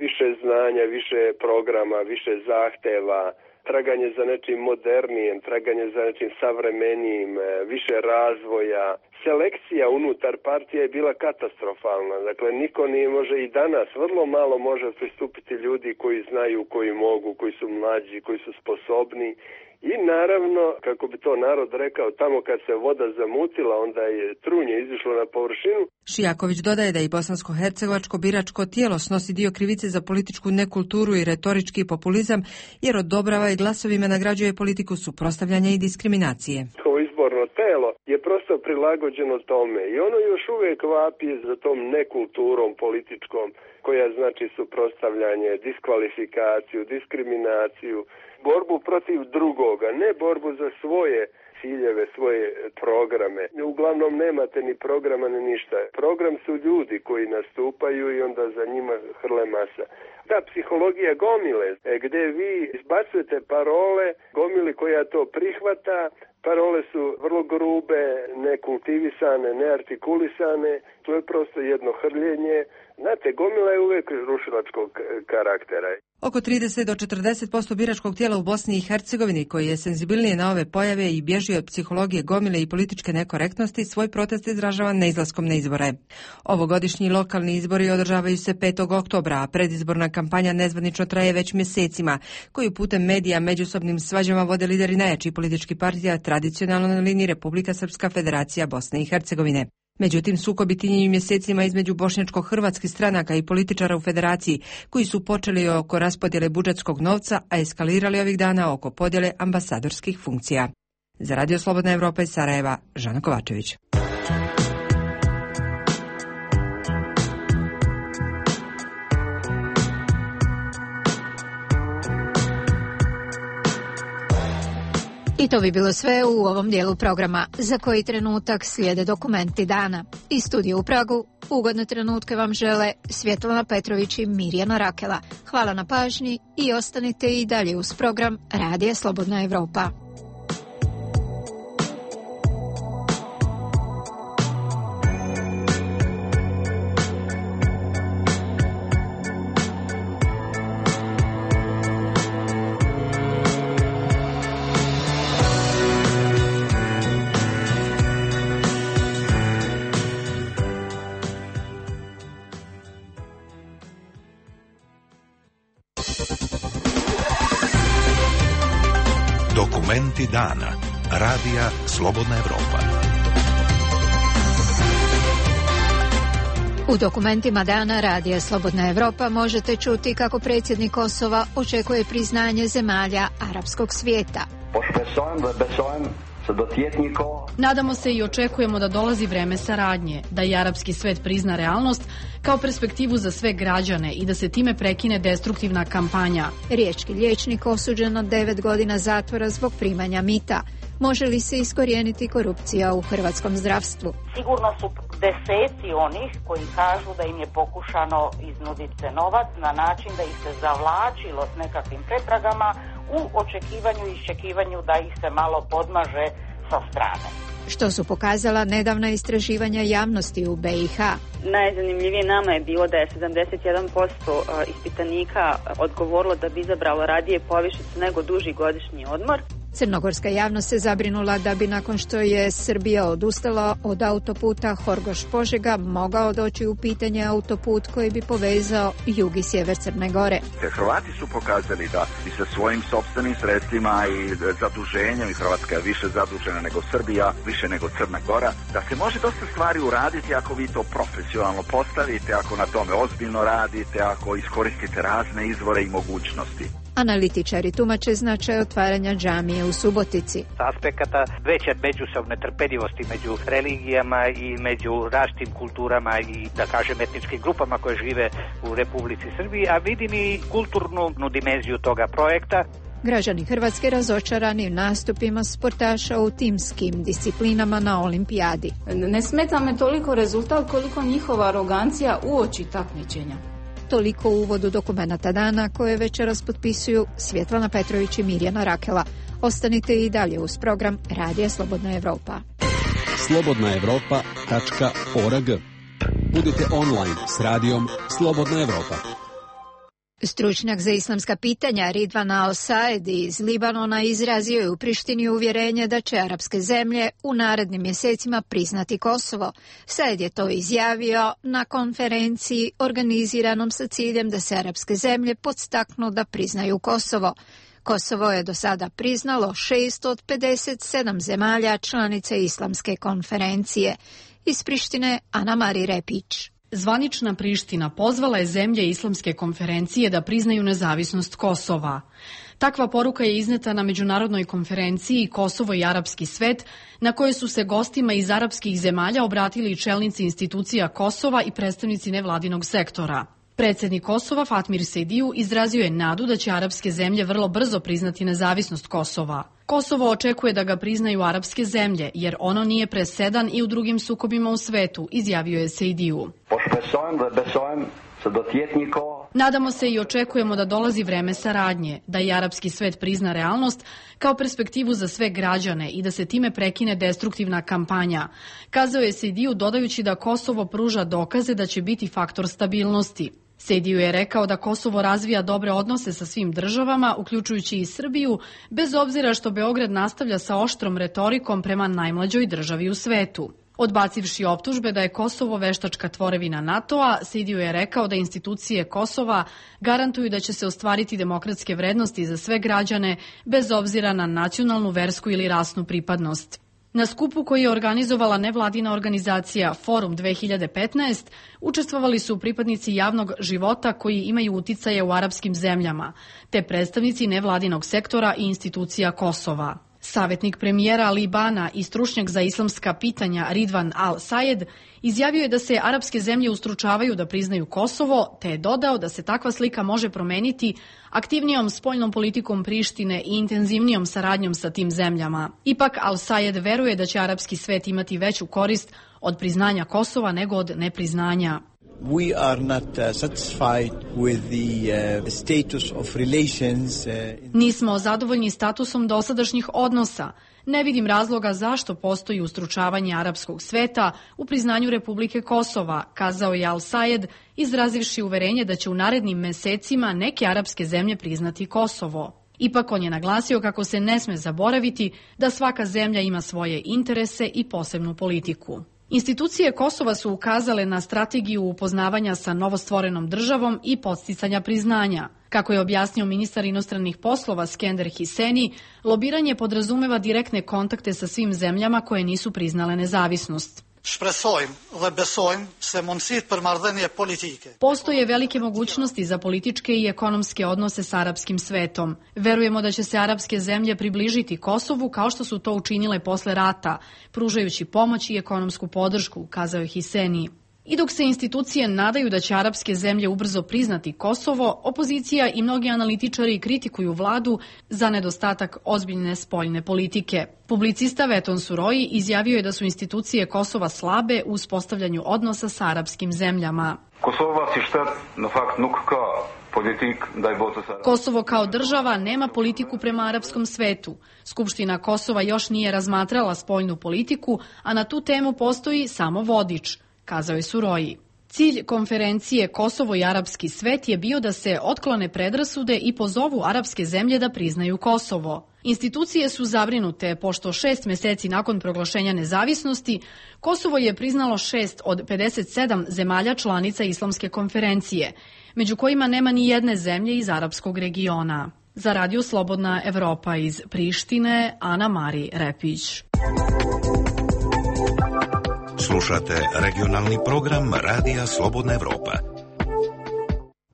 više znanja, više programa, više zahteva, traganje za nečim modernijem, traganje za nečim savremenijim, više razvoja. Selekcija unutar partije je bila katastrofalna. Dakle, niko nije može i danas, vrlo malo može pristupiti ljudi koji znaju, koji mogu, koji su mlađi, koji su sposobni. I naravno, kako bi to narod rekao, tamo kad se voda zamutila, onda je trunje izišlo na površinu. Šijaković dodaje da i bosansko-hercegovačko biračko tijelo snosi dio krivice za političku nekulturu i retorički populizam, jer odobrava i glasovima nagrađuje politiku suprotstavljanja i diskriminacije. Ovo izborno telo je prosto prilagođeno tome i ono još uvijek vapi za tom nekulturom političkom, koja znači suprotstavljanje, diskvalifikaciju, diskriminaciju, borbu protiv drugoga, ne borbu za svoje ciljeve, svoje programe. Uglavnom nemate ni programa ni ništa. Program su ljudi koji nastupaju i onda za njima hrle masa. Ta psihologija gomile, gdje vi izbacujete parole, gomili koja to prihvata, parole su vrlo grube, nekultivisane, neartikulisane, to je prosto jedno hrljenje. Znate, gomila je uvijek rušilačkog karaktera. Oko 30 do 40% biračkog tijela u Bosni i Hercegovini, koji je senzibilnije na ove pojave i bježi od psihologije gomile i političke nekorektnosti, svoj protest izražava neizlaskom na izbore. Ovogodišnji lokalni izbori održavaju se 5. oktobra, a predizborna kampanja nezvanično traje već mjesecima, koju putem medija međusobnim svađama vode lideri najjačih političkih partija tradicionalno na liniji Republika Srpska, Federacija Bosne i Hercegovine. Međutim, sukobi tinjaju mjesecima između bošnjačko-hrvatskih stranaka i političara u federaciji, koji su počeli oko raspodjele budžetskog novca, a eskalirali ovih dana oko podjele ambasadorskih funkcija. Za Radio Slobodna Evropa iz Sarajeva, Žana Kovačević. I to bi bilo sve u ovom dijelu programa. Za koji trenutak slijede dokumenti dana. Iz studija u Pragu ugodne trenutke vam žele Svjetlana Petrović i Mirjana Rakela. Hvala na pažnji i ostanite i dalje uz program Radija Slobodna Evropa. Dokumenti dana. Radija Slobodna Evropa. U dokumentima dana Radija Slobodna Evropa možete čuti kako predsjednik Kosova očekuje priznanje zemalja arapskog svijeta. Nadamo se i očekujemo da dolazi vreme saradnje, da i arapski svet prizna realnost kao perspektivu za sve građane i da se time prekine destruktivna kampanja. Riječki liječnik osuđen na 9 godina zatvora zbog primanja mita. Može li se iskorijeniti korupcija u hrvatskom zdravstvu? Sigurno su deseci onih koji kažu da im je pokušano iznuditi se novac na način da ih se zavlačilo s nekakvim pretragama u očekivanju i iščekivanju da ih se malo podmaže sa strane. Što su pokazala nedavna istraživanja javnosti u BiH? Najzanimljivije nama je bilo da je 71% ispitanika odgovorilo da bi izabralo radije povišicu nego duži godišnji odmor. Crnogorska javnost se zabrinula da bi nakon što je Srbija odustala od autoputa Horgoš-Požega mogao doći u pitanje autoput koji bi povezao jug i sjever Crne Gore. Hrvati su pokazali da bi sa svojim sopstvenim sredstvima i zaduženjem, i Hrvatska je više zadužena nego Srbija, više nego Crna Gora, da se može dosta stvari uraditi ako vi to profesionalno postavite, ako na tome ozbiljno radite, ako iskoristite razne izvore i mogućnosti. Analitičari tumače značaj otvaranja džamije u Subotici. S aspekata veće međusobne trpeljivosti među religijama i među različitim kulturama i, da kažem, etničkim grupama koje žive u Republici Srbiji, a vidim i kulturnu dimenziju toga projekta. Građani Hrvatske razočarani nastupima sportaša u timskim disciplinama na olimpijadi. Ne smeta me toliko rezultat koliko njihova arogancija uoči takmičenja. Toliko u uvodu dokumenata dana koje večeras potpisuju Svjetlana Petrović i Mirjana Rakela. Ostanite i dalje uz program Radija Slobodna Evropa. slobodnaevropa.org. Budite online s radijom Slobodna Evropa. Stručnjak za islamska pitanja Ridvan Al-Saed iz Libanona izrazio je u Prištini uvjerenje da će arapske zemlje u narednim mjesecima priznati Kosovo. Saed je to izjavio na konferenciji organiziranom sa ciljem da se arapske zemlje podstaknu da priznaju Kosovo. Kosovo je do sada priznalo 6 od 57 zemalja članice Islamske konferencije. Iz Prištine Ana Mari Repić. Zvanična Priština pozvala je zemlje Islamske konferencije da priznaju nezavisnost Kosova. Takva poruka je izneta na međunarodnoj konferenciji Kosovo i arapski svet, na kojoj su se gostima iz arapskih zemalja obratili čelnici institucija Kosova i predstavnici nevladinog sektora. Predsjednik Kosova Fatmir Sejdiju izrazio je nadu da će arapske zemlje vrlo brzo priznati nezavisnost Kosova. Kosovo očekuje da ga priznaju arapske zemlje, jer ono nije presedan i u drugim sukobima u svetu, izjavio je Sejdiju. Nadamo se i očekujemo da dolazi vreme saradnje, da i arapski svet prizna realnost kao perspektivu za sve građane i da se time prekine destruktivna kampanja, kazao je Sejdiju dodajući da Kosovo pruža dokaze da će biti faktor stabilnosti. Sejdiju je rekao da Kosovo razvija dobre odnose sa svim državama, uključujući i Srbiju, bez obzira što Beograd nastavlja sa oštrom retorikom prema najmlađoj državi u svetu. Odbacivši optužbe da je Kosovo veštačka tvorevina NATO-a, Sejdiju je rekao da institucije Kosova garantuju da će se ostvariti demokratske vrednosti za sve građane, bez obzira na nacionalnu, versku ili rasnu pripadnost. Na skupu koji je organizovala nevladina organizacija Forum 2015 učestvovali su pripadnici javnog života koji imaju uticaje u arapskim zemljama, te predstavnici nevladinog sektora i institucija Kosova. Savjetnik premijera Libana i stručnjak za islamska pitanja Ridvan Al-Sayed izjavio je da se arapske zemlje ustručavaju da priznaju Kosovo, te je dodao da se takva slika može promeniti aktivnijom spoljnom politikom Prištine i intenzivnijom saradnjom sa tim zemljama. Ipak Al-Sayed veruje da će arapski svet imati veću korist od priznanja Kosova nego od nepriznanja. We are not satisfied with the status of relations. Nismo zadovoljni statusom dosadašnjih odnosa. Ne vidim razloga zašto postoji ustručavanje arapskog sveta u priznanju Republike Kosova, kazao je Al-Sayed, izrazivši uverenje da će u narednim mesecima neke arapske zemlje priznati Kosovo. Ipak on je naglasio kako se ne sme zaboraviti da svaka zemlja ima svoje interese i posebnu politiku. Institucije Kosova su ukazale na strategiju upoznavanja sa novostvorenom državom i podsticanja priznanja. Kako je objasnio ministar inostranih poslova Skender Hiseni, lobiranje podrazumeva direktne kontakte sa svim zemljama koje nisu priznale nezavisnost. Postoje velike mogućnosti za političke i ekonomske odnose sa arapskim svetom. Verujemo da će se arapske zemlje približiti Kosovu kao što su to učinile posle rata, pružajući pomoć i ekonomsku podršku, kazao je Hiseni. I dok se institucije nadaju da će arapske zemlje ubrzo priznati Kosovo, opozicija i mnogi analitičari kritikuju vladu za nedostatak ozbiljne spoljne politike. Publicista Veton Suroji izjavio je da su institucije Kosova slabe u uspostavljanju odnosa sa arapskim zemljama. Kosovo kao država nema politiku prema arapskom svetu. Skupština Kosova još nije razmatrala spoljnu politiku, a na tu temu postoji samo vodič, kazao je Suroji. Cilj konferencije Kosovo i arapski svet je bio da se otklone predrasude i pozovu arapske zemlje da priznaju Kosovo. Institucije su zabrinute pošto 6 meseci nakon proglašenja nezavisnosti Kosovo je priznalo 6 od 57 zemalja članica Islamske konferencije, među kojima nema ni jedne zemlje iz arapskog regiona. Za Radio Slobodna Evropa iz Prištine, Ana Mari Repić. Slušate regionalni program Radija Slobodna Evropa.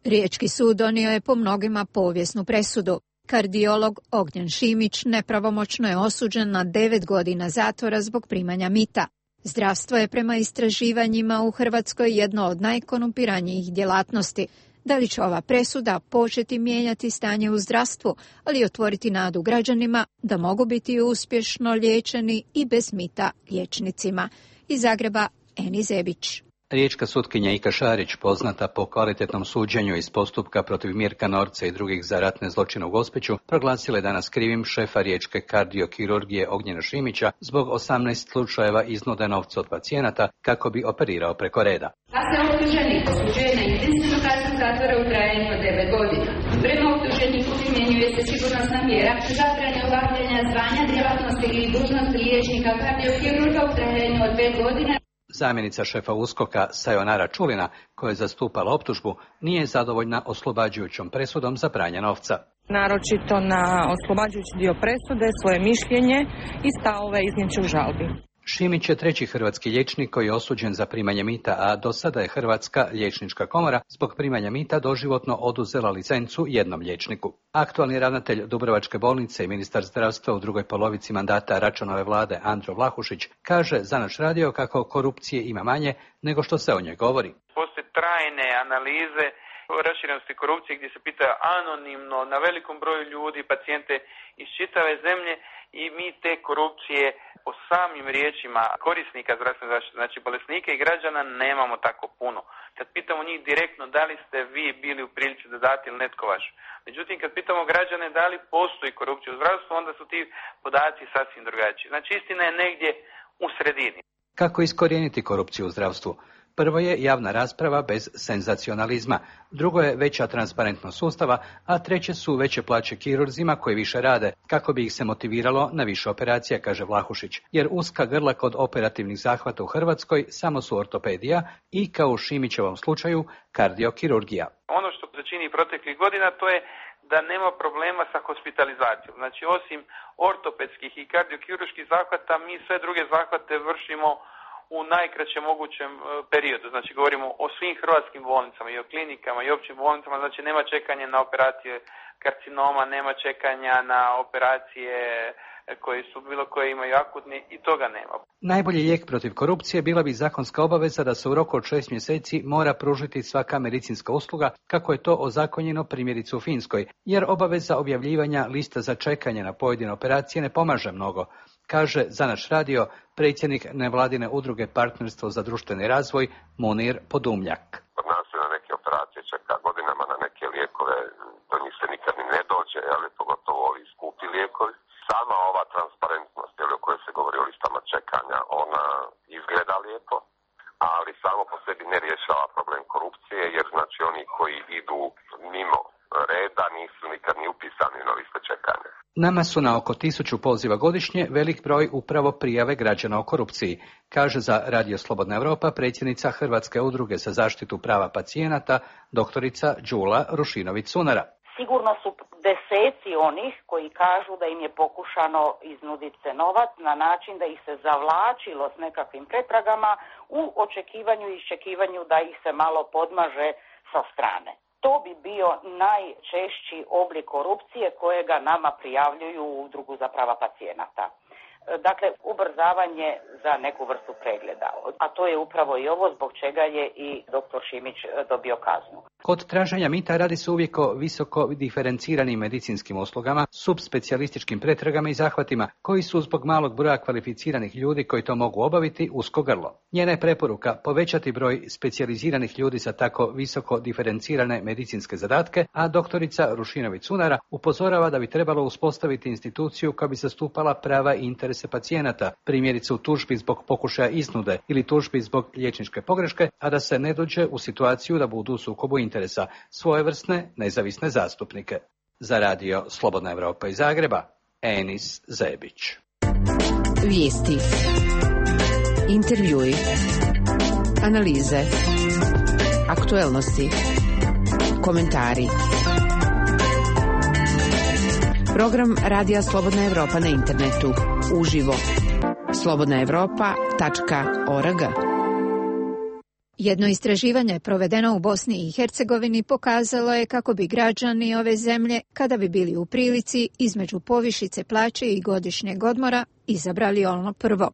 Riječki sud donio je po mnogima povijesnu presudu. Kardiolog Ognjen Šimić nepravomoćno je osuđen na 9 godina zatvora zbog primanja mita. Zdravstvo je prema istraživanjima u Hrvatskoj jedno od najkorumpiranijih djelatnosti. Da li će ova presuda početi mijenjati stanje u zdravstvu, ali otvoriti nadu građanima da mogu biti uspješno liječeni i bez mita liječnicima? Iz Zagreba, Eni Zebić. Riječka sutkinja Ika Šarić, poznata po kvalitetnom suđenju iz postupka protiv Mirka Norca i drugih za ratne zločine u Gospiću, proglasila je danas krivim šefa riječke kardiokirurgije Ognjena Šimića zbog 18 slučajeva iznude novca od pacijenata kako bi operirao preko reda. A se optuženik osuđuje na intenzivnu kaznu zatvora u trajanju od 9 godina. Prema optuženiku primjenjuje se sigurnosna mjera zabrane obavljanja zvanja, djelatnosti ili dužnosti liječnika kardiokirurga u trajanju od 5 godina. Zamjenica šefa USKOK-a Sayonara Čulina, koja je zastupala optužbu, nije zadovoljna oslobađajućom presudom za pranje novca. Naročito na oslobađajući dio presude svoje mišljenje i stavove iznijet će u žalbi. Šimić je treći hrvatski liječnik koji je osuđen za primanje mita, a do sada je Hrvatska liječnička komora zbog primanja mita doživotno oduzela licencu jednom liječniku. Aktualni ravnatelj Dubrovačke bolnice i ministar zdravstva u drugoj polovici mandata Račanove vlade Andro Vlahušić kaže za naš radio kako korupcije ima manje nego što se o njoj govori. Postoje trajne analize o raširenosti korupcije gdje se pita anonimno na velikom broju ljudi, pacijente iz čitave zemlje i mi te korupcije po samim riječima korisnika zdravstvene zaštite, znači bolesnika i građana, nemamo tako puno. Kad pitamo njih direktno da li ste vi bili u prilici da date ili netko vaš. Međutim, kad pitamo građane da li postoji korupcija u zdravstvu, onda su ti podaci sasvim drugačiji. Znači, istina je negdje u sredini. Kako iskorijeniti korupciju u zdravstvu? Prvo je javna rasprava bez senzacionalizma, drugo je veća transparentnost sustava, a treće su veće plaće kirurzima koji više rade, kako bi ih se motiviralo na više operacija, kaže Vlahušić, jer uska grla kod operativnih zahvata u Hrvatskoj samo su ortopedija i, kao u Šimićevom slučaju, kardiokirurgija. Ono što se čini proteklih godina to je da nema problema sa hospitalizacijom. Znači, osim ortopedskih i kardiokirurških zahvata, mi sve druge zahvate vršimo u najkraćem mogućem periodu. Znači, govorimo o svim hrvatskim bolnicama i o klinikama i općim bolnicama. Znači, nema čekanja na operacije karcinoma, nema čekanja na operacije koji su bilo koje imaju akutni i toga nema. Najbolji lijek protiv korupcije bila bi zakonska obaveza da se u roku od 6 mjeseci mora pružiti svaka medicinska usluga, kako je to ozakonjeno primjerice u Finskoj, jer obaveza objavljivanja lista za čekanje na pojedine operacije ne pomaže mnogo, kaže za naš radio predsjednik nevladine udruge Partnerstvo za društveni razvoj Munir Podumljak. Kod nas se na neke operacije čeka godinama, na neke lijekove, do njih se nikad ni ne dođe, ali pogotovo ovi skupi lijekovi. Sama ova transparentnost, o kojoj se govori o listama čekanja, ona izgleda lijepo, ali samo po sebi ne rješava problem korupcije, jer znači oni koji idu mimo reda nisu nikad ni upisani na liste čekanja. Nama su na oko 1000 poziva godišnje velik broj upravo prijave građana o korupciji, kaže za Radio Slobodna Europa predsjednica Hrvatske udruge za zaštitu prava pacijenata, doktorica Đula Rušinović-Sunara. Sigurno su deseci onih koji kažu da im je pokušano iznuditi se novac na način da ih se zavlačilo s nekakvim pretragama u očekivanju i iščekivanju da ih se malo podmaže sa strane. To bi bio najčešći oblik korupcije kojega nama prijavljuju u Udrugu za prava pacijenata. Dakle, ubrzavanje za neku vrstu pregleda. A to je upravo i ovo zbog čega je i dr. Šimić dobio kaznu. Kod traženja mita radi se uvijek o visoko diferenciranim medicinskim uslugama, subspecijalističkim pretragama i zahvatima, koji su zbog malog broja kvalificiranih ljudi koji to mogu obaviti usko grlo. Njena je preporuka povećati broj specijaliziranih ljudi za tako visoko diferencirane medicinske zadatke, a doktorica Rušinović-Sunara upozorava da bi trebalo uspostaviti instituciju koja bi zastupala prava i interese pacijenata, primjerice u tužbi zbog pokušaja iznude ili tužbi zbog liječničke pogreške, a da se ne dođe u situaciju da budu u sukobu interesa svojevrsne nezavisne zastupnike. Za radio Slobodna Europa iz Zagreba, Enis Zebić. Vijesti, intervjui, analize, aktuelnosti, komentari. Program Radija Slobodna Europa na internetu, uživo, slobodnaevropa.org. Jedno istraživanje provedeno u Bosni i Hercegovini pokazalo je kako bi građani ove zemlje, kada bi bili u prilici između povišice plaće i godišnjeg odmora, izabrali ono prvo.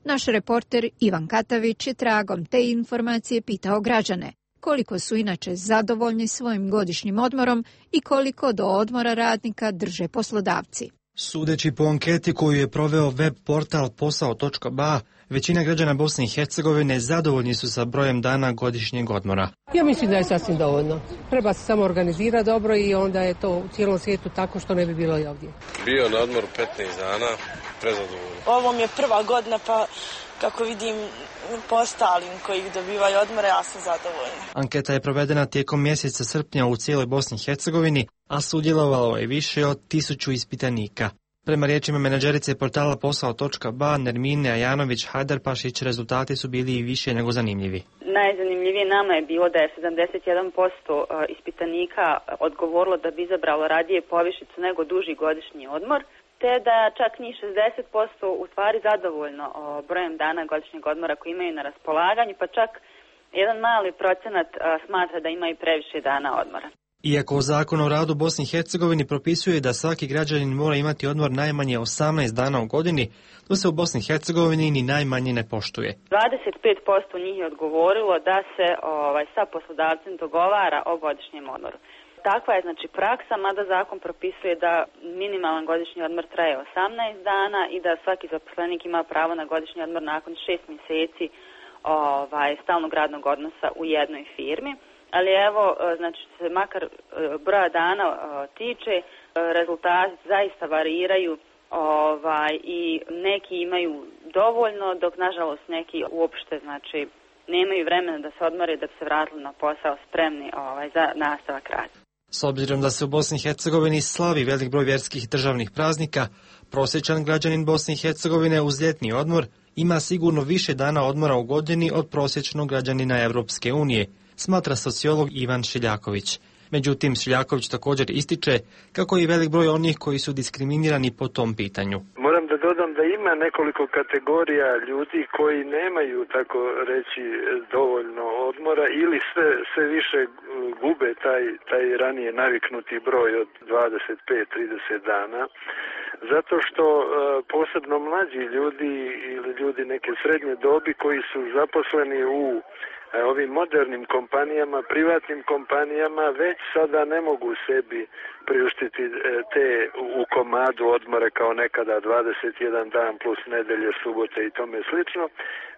Naš reporter Ivan Katavić je tragom te informacije pitao građane koliko su inače zadovoljni svojim godišnjim odmorom i koliko do odmora radnika drže poslodavci. Sudeći po anketi koju je proveo web portal posao.ba, većina građana Bosne i Hercegovine zadovoljni su sa brojem dana godišnjeg odmora. Ja mislim da je sasvim dovoljno. Treba se samo organizirati dobro i onda je to u cijelom svijetu tako što ne bi bilo i ovdje. Bio na odmoru 15 dana, prezadovoljno. Ovo mi je prva godina pa kako vidim po ostalim koji dobivaju odmore, ja sam zadovoljna. Anketa je provedena tijekom mjeseca srpnja u cijeloj Bosni i Hercegovini, a sudjelovalo je više od 1000 ispitanika. Prema riječima menadžerice portala posao.ba Nermine Ajanović-Hajdarpašić, rezultati su bili i više nego zanimljivi. Najzanimljivije nama je bilo da je 71% ispitanika odgovorilo da bi izabralo radije povišicu nego duži godišnji odmor, te da čak njih 60% u stvari zadovoljno brojem dana godišnjeg odmora koji imaju na raspolaganju, pa čak jedan mali procenat smatra da imaju previše dana odmora. Iako Zakon o radu Bosni i Hercegovini propisuje da svaki građanin mora imati odmor najmanje 18 dana u godini, to se u Bosni i Hercegovini ni najmanje ne poštuje. 25% njih je odgovorilo da se sa poslodavcem dogovara o godišnjem odmoru. Takva je znači praksa, mada zakon propisuje da minimalan godišnji odmor traje 18 dana i da svaki zaposlenik ima pravo na godišnji odmor nakon 6 mjeseci stalnog radnog odnosa u jednoj firmi. Ali evo, znači se makar broja dana tiče, rezultati zaista variraju i neki imaju dovoljno, dok nažalost neki uopšte znači nemaju vremena da se odmore da bi se vratili na posao spremni za nastavak rada. S obzirom da se u Bosni i Hercegovini slavi velik broj vjerskih državnih praznika, prosječan građanin Bosne i Hercegovine uz ljetni odmor ima sigurno više dana odmora u godini od prosječnog građanina Europske unije, smatra sociolog Ivan Šiljaković. Međutim, Šiljaković također ističe kako je velik broj onih koji su diskriminirani po tom pitanju. Moram da dodam da ima nekoliko kategorija ljudi koji nemaju, tako reći, dovoljno odmora ili sve više gube taj ranije naviknuti broj od 25-30 dana. zato što posebno mlađi ljudi ili ljudi neke srednje dobi koji su zaposleni u ovim modernim kompanijama, privatnim kompanijama, već sada ne mogu sebi priuštiti te u komadu odmore kao nekada 21 dan plus nedelje, subote i tome slično,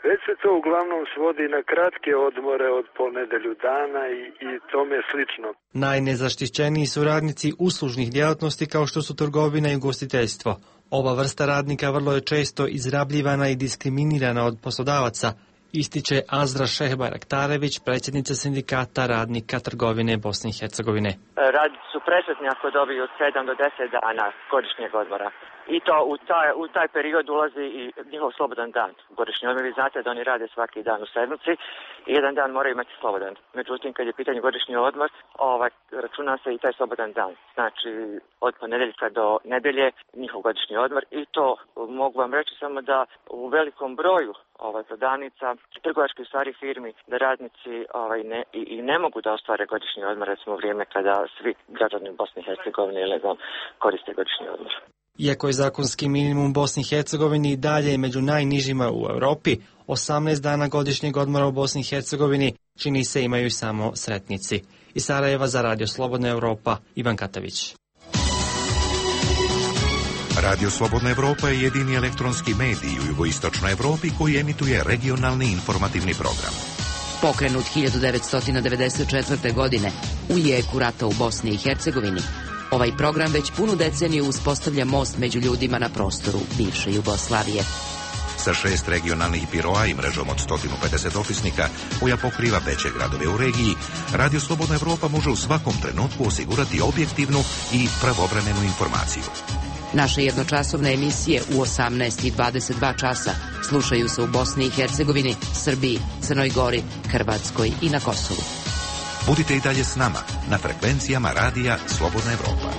već se to uglavnom svodi na kratke odmore od po nedelju dana i tome slično. Najnezaštićeniji su radnici uslužnih djelatnosti kao što su trgovina i ugostiteljstvo. Ova vrsta radnika vrlo je često izrabljivana i diskriminirana od poslodavaca, ističe Azra Šehbaraktarević, predsjednica sindikata radnika trgovine Bosne i Hercegovine. Radnici su presretni ako dobiju od 7 do 10 dana godišnjeg odmora. I to u taj period ulazi i njihov slobodan dan. Godišnji odmor, vi znate da oni rade svaki dan u sedmici i jedan dan moraju imati slobodan. Međutim, kad je pitanje godišnji odmor, računa se i taj slobodan dan. Znači, od ponedjeljka do nedelje njihov godišnji odmor i to mogu vam reći samo da u velikom broju prodavnica, trgovačkih stvari firmi, da radnici ne mogu da ostvare godišnji odmor, recimo u vrijeme kada svi građani Bosne i Hercegovine koriste godišnji odmor. Iako je zakonski minimum u Bosni i Hercegovini i dalje među najnižima u Europi, 18 dana godišnjeg odmora u Bosni i Hercegovini čini se imaju samo sretnici. Iz Sarajeva za Radio Slobodna Evropa, Ivan Katavić. Radio Slobodna Evropa je jedini elektronski medij u jugoistočnoj Evropi koji emituje regionalni informativni program. Pokrenut 1994. godine u jeku rata u Bosni i Hercegovini, ovaj program već punu deceniju uspostavlja most među ljudima na prostoru bivše Jugoslavije. Sa 6 regionalnih biroa i mrežom od 150 opisnika koja pokriva veće gradove u regiji, Radio Slobodna Evropa može u svakom trenutku osigurati objektivnu i pravovremenu informaciju. Naše jednočasovne emisije u 18 i 22 časa slušaju se u Bosni i Hercegovini, Srbiji, Crnoj Gori, Hrvatskoj i na Kosovu. Budite i dalje s nama na frekvencijama Radija Slobodna Evropa.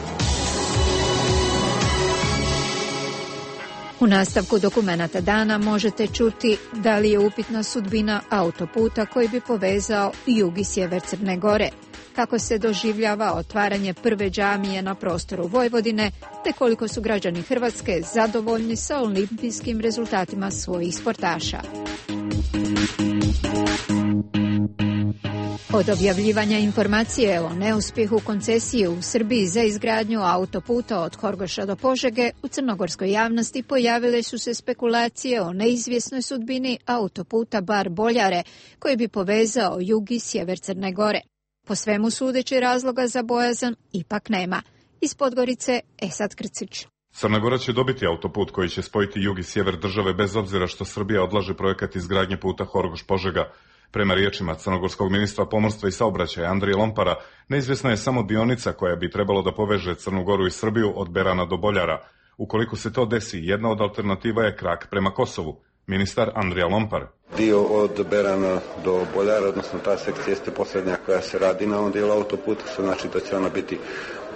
U nastavku dokumenata dana možete čuti da li je upitna sudbina autoputa koji bi povezao jug i sjever Crne Gore, kako se doživljava otvaranje prve džamije na prostoru Vojvodine, te koliko su građani Hrvatske zadovoljni sa olimpijskim rezultatima svojih sportaša. Od objavljivanja informacije o neuspjehu koncesije u Srbiji za izgradnju autoputa od Horgoša do Požege, u crnogorskoj javnosti pojavile su se spekulacije o neizvjesnoj sudbini autoputa Bar-Boljare, koji bi povezao jug i sjever Crne Gore. Po svemu sudeći razloga za bojazan ipak nema. Iz Podgorice, Esad Krcić. Crna Gora će dobiti autoput koji će spojiti jug i sjever države bez obzira što Srbija odlaže projekat izgradnje puta Horgoš-Požega. Prema riječima crnogorskog ministra pomorstva i saobraćaja Andrije Lompara, neizvjesna je samo dionica koja bi trebalo da poveže Crnu Goru i Srbiju od Berana do Boljara. Ukoliko se to desi, jedna od alternativa je krak prema Kosovu. Ministar Andrija Lompar. Dio od Berana do Boljara, odnosno ta sekcija jeste posljednja koja se radi na ovom dijelu autoputa, što znači da će ona biti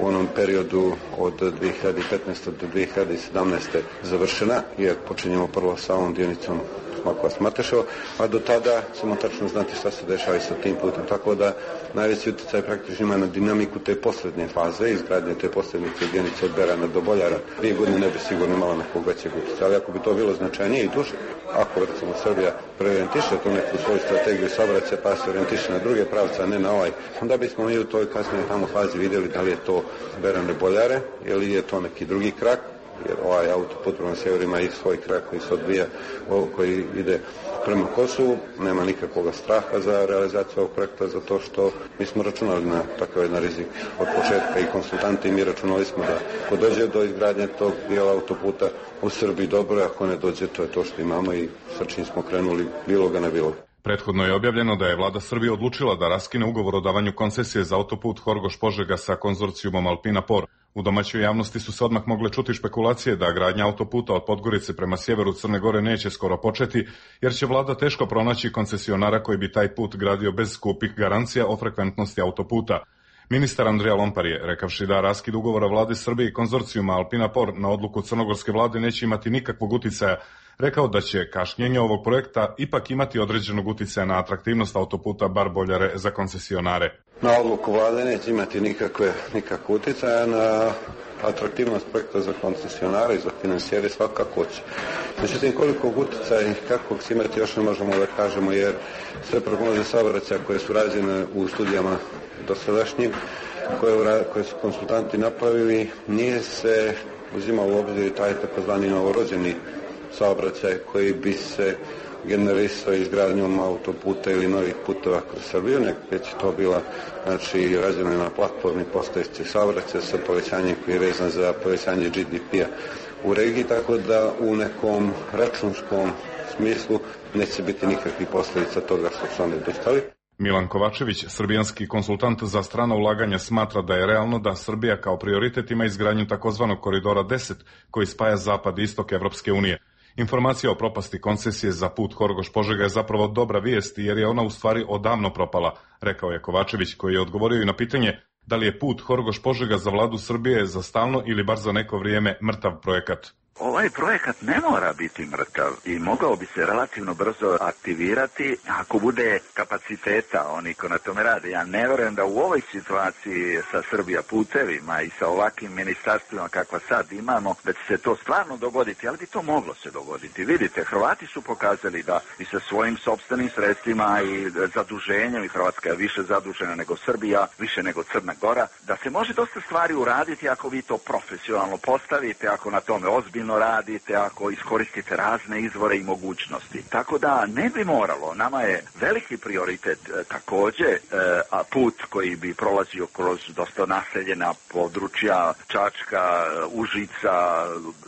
u onom periodu od 2015. do 2017. završena, jer počinjemo prvo sa ovom dionicom Makova-Smateševo, a do tada ćemo tačno znati šta se dešava i sa tim putem. Tako da najveći utjecaj praktično ima na dinamiku te posljednje faze, izgradnje te posljednje dionice od Berana do Boljara. 2 godine ne bi sigurno imala nekog većeg utjecaja, ali ako bi to bilo značajnije i duže, ako recimo Srbija preorijentiše tu neku svoju strategiju saobraćaja pa se orijentiše na druge pravce, a ne na ovaj, onda bismo mi u toj kasnije tamo fazi vidjeli da li je to Berane Boljare ili je to neki drugi krak, jer ovaj autoput prema sjeveru ima i svoj krak koji se odvija, koji ide prema Kosovu. Nema nikakvog straha za realizaciju ovog projekta, zato što mi smo računali na takav jedan rizik od početka i konsultanti, i mi računali smo da ako dođe do izgradnje tog dijela autoputa u Srbiji dobro, ako ne dođe, to je to što imamo i sa čim smo krenuli, bilo ga ne bilo. Prethodno je objavljeno da je vlada Srbije odlučila da raskine ugovor o davanju koncesije za autoput Horgoš-Požega sa konzorcijumom Alpina Por. U domaćoj javnosti su se odmah mogle čuti špekulacije da gradnja autoputa od Podgorice prema sjeveru Crne Gore neće skoro početi, jer će vlada teško pronaći koncesionara koji bi taj put gradio bez skupih garancija o frekventnosti autoputa. Ministar Andrija Lompar je, rekavši da raskid ugovora vlade Srbije i konzorcijuma Alpina Por na odluku crnogorske vlade neće imati nikakvog uticaja, rekao da će kašnjenje ovog projekta ipak imati određenog uticaja na atraktivnost autoputa Bar-Boljare za koncesionare. Na odluku vlade neće imati nikakve uticaja na atraktivnost projekta za koncesionare i za finansijere svakako će. Međutim, koliko utjecaja i kakvog će imati još ne možemo da kažemo, jer sve prognoze saobraćaja koje su rađene u studijama dosadašnjim, koje su konsultanti napravili, nije se uzimao u obzir taj takozvani novorođeni saobraćaj koji bi se generisao izgradnjom autoputa ili novih puteva kroz Srbiju, već je to bila rađena na platformi postojeće saobraćaja sa povećanjem koji je vezan za povećanje GDP-a u regiji, tako da u nekom računskom smislu neće biti nikakvih posljedica toga što su oni dostali. Milan Kovačević, srbijanski konsultant za strana ulaganja, smatra da je realno da Srbija kao prioritet ima izgradnju takozvanog koridora 10 koji spaja zapad i istok Evropske unije. Informacija o propasti koncesije za put Horgoš-Požega je zapravo dobra vijest jer je ona u stvari odavno propala, rekao je Kovačević, koji je odgovorio i na pitanje da li je put Horgoš-Požega za vladu Srbije za stalno ili bar za neko vrijeme mrtav projekat. Ovaj projekat ne mora biti mrtav i mogao bi se relativno brzo aktivirati ako bude kapaciteta oni ko na tome rade. Ja ne vjerujem da u ovoj situaciji sa Srbija putevima i sa ovakvim ministarstvima kakva sad imamo, da će se to stvarno dogoditi, ali bi to moglo se dogoditi. Vidite, Hrvati su pokazali da i sa svojim sopstvenim sredstvima i zaduženjem, i Hrvatska je više zadužena nego Srbija, više nego Crna Gora, da se može dosta stvari uraditi ako vi to profesionalno postavite, ako na tome ozbiljno radite, ako iskoristite razne izvore i mogućnosti. Tako da ne bi moralo, nama je veliki prioritet također put koji bi prolazio kroz dosta naseljena područja, Čačka, Užica,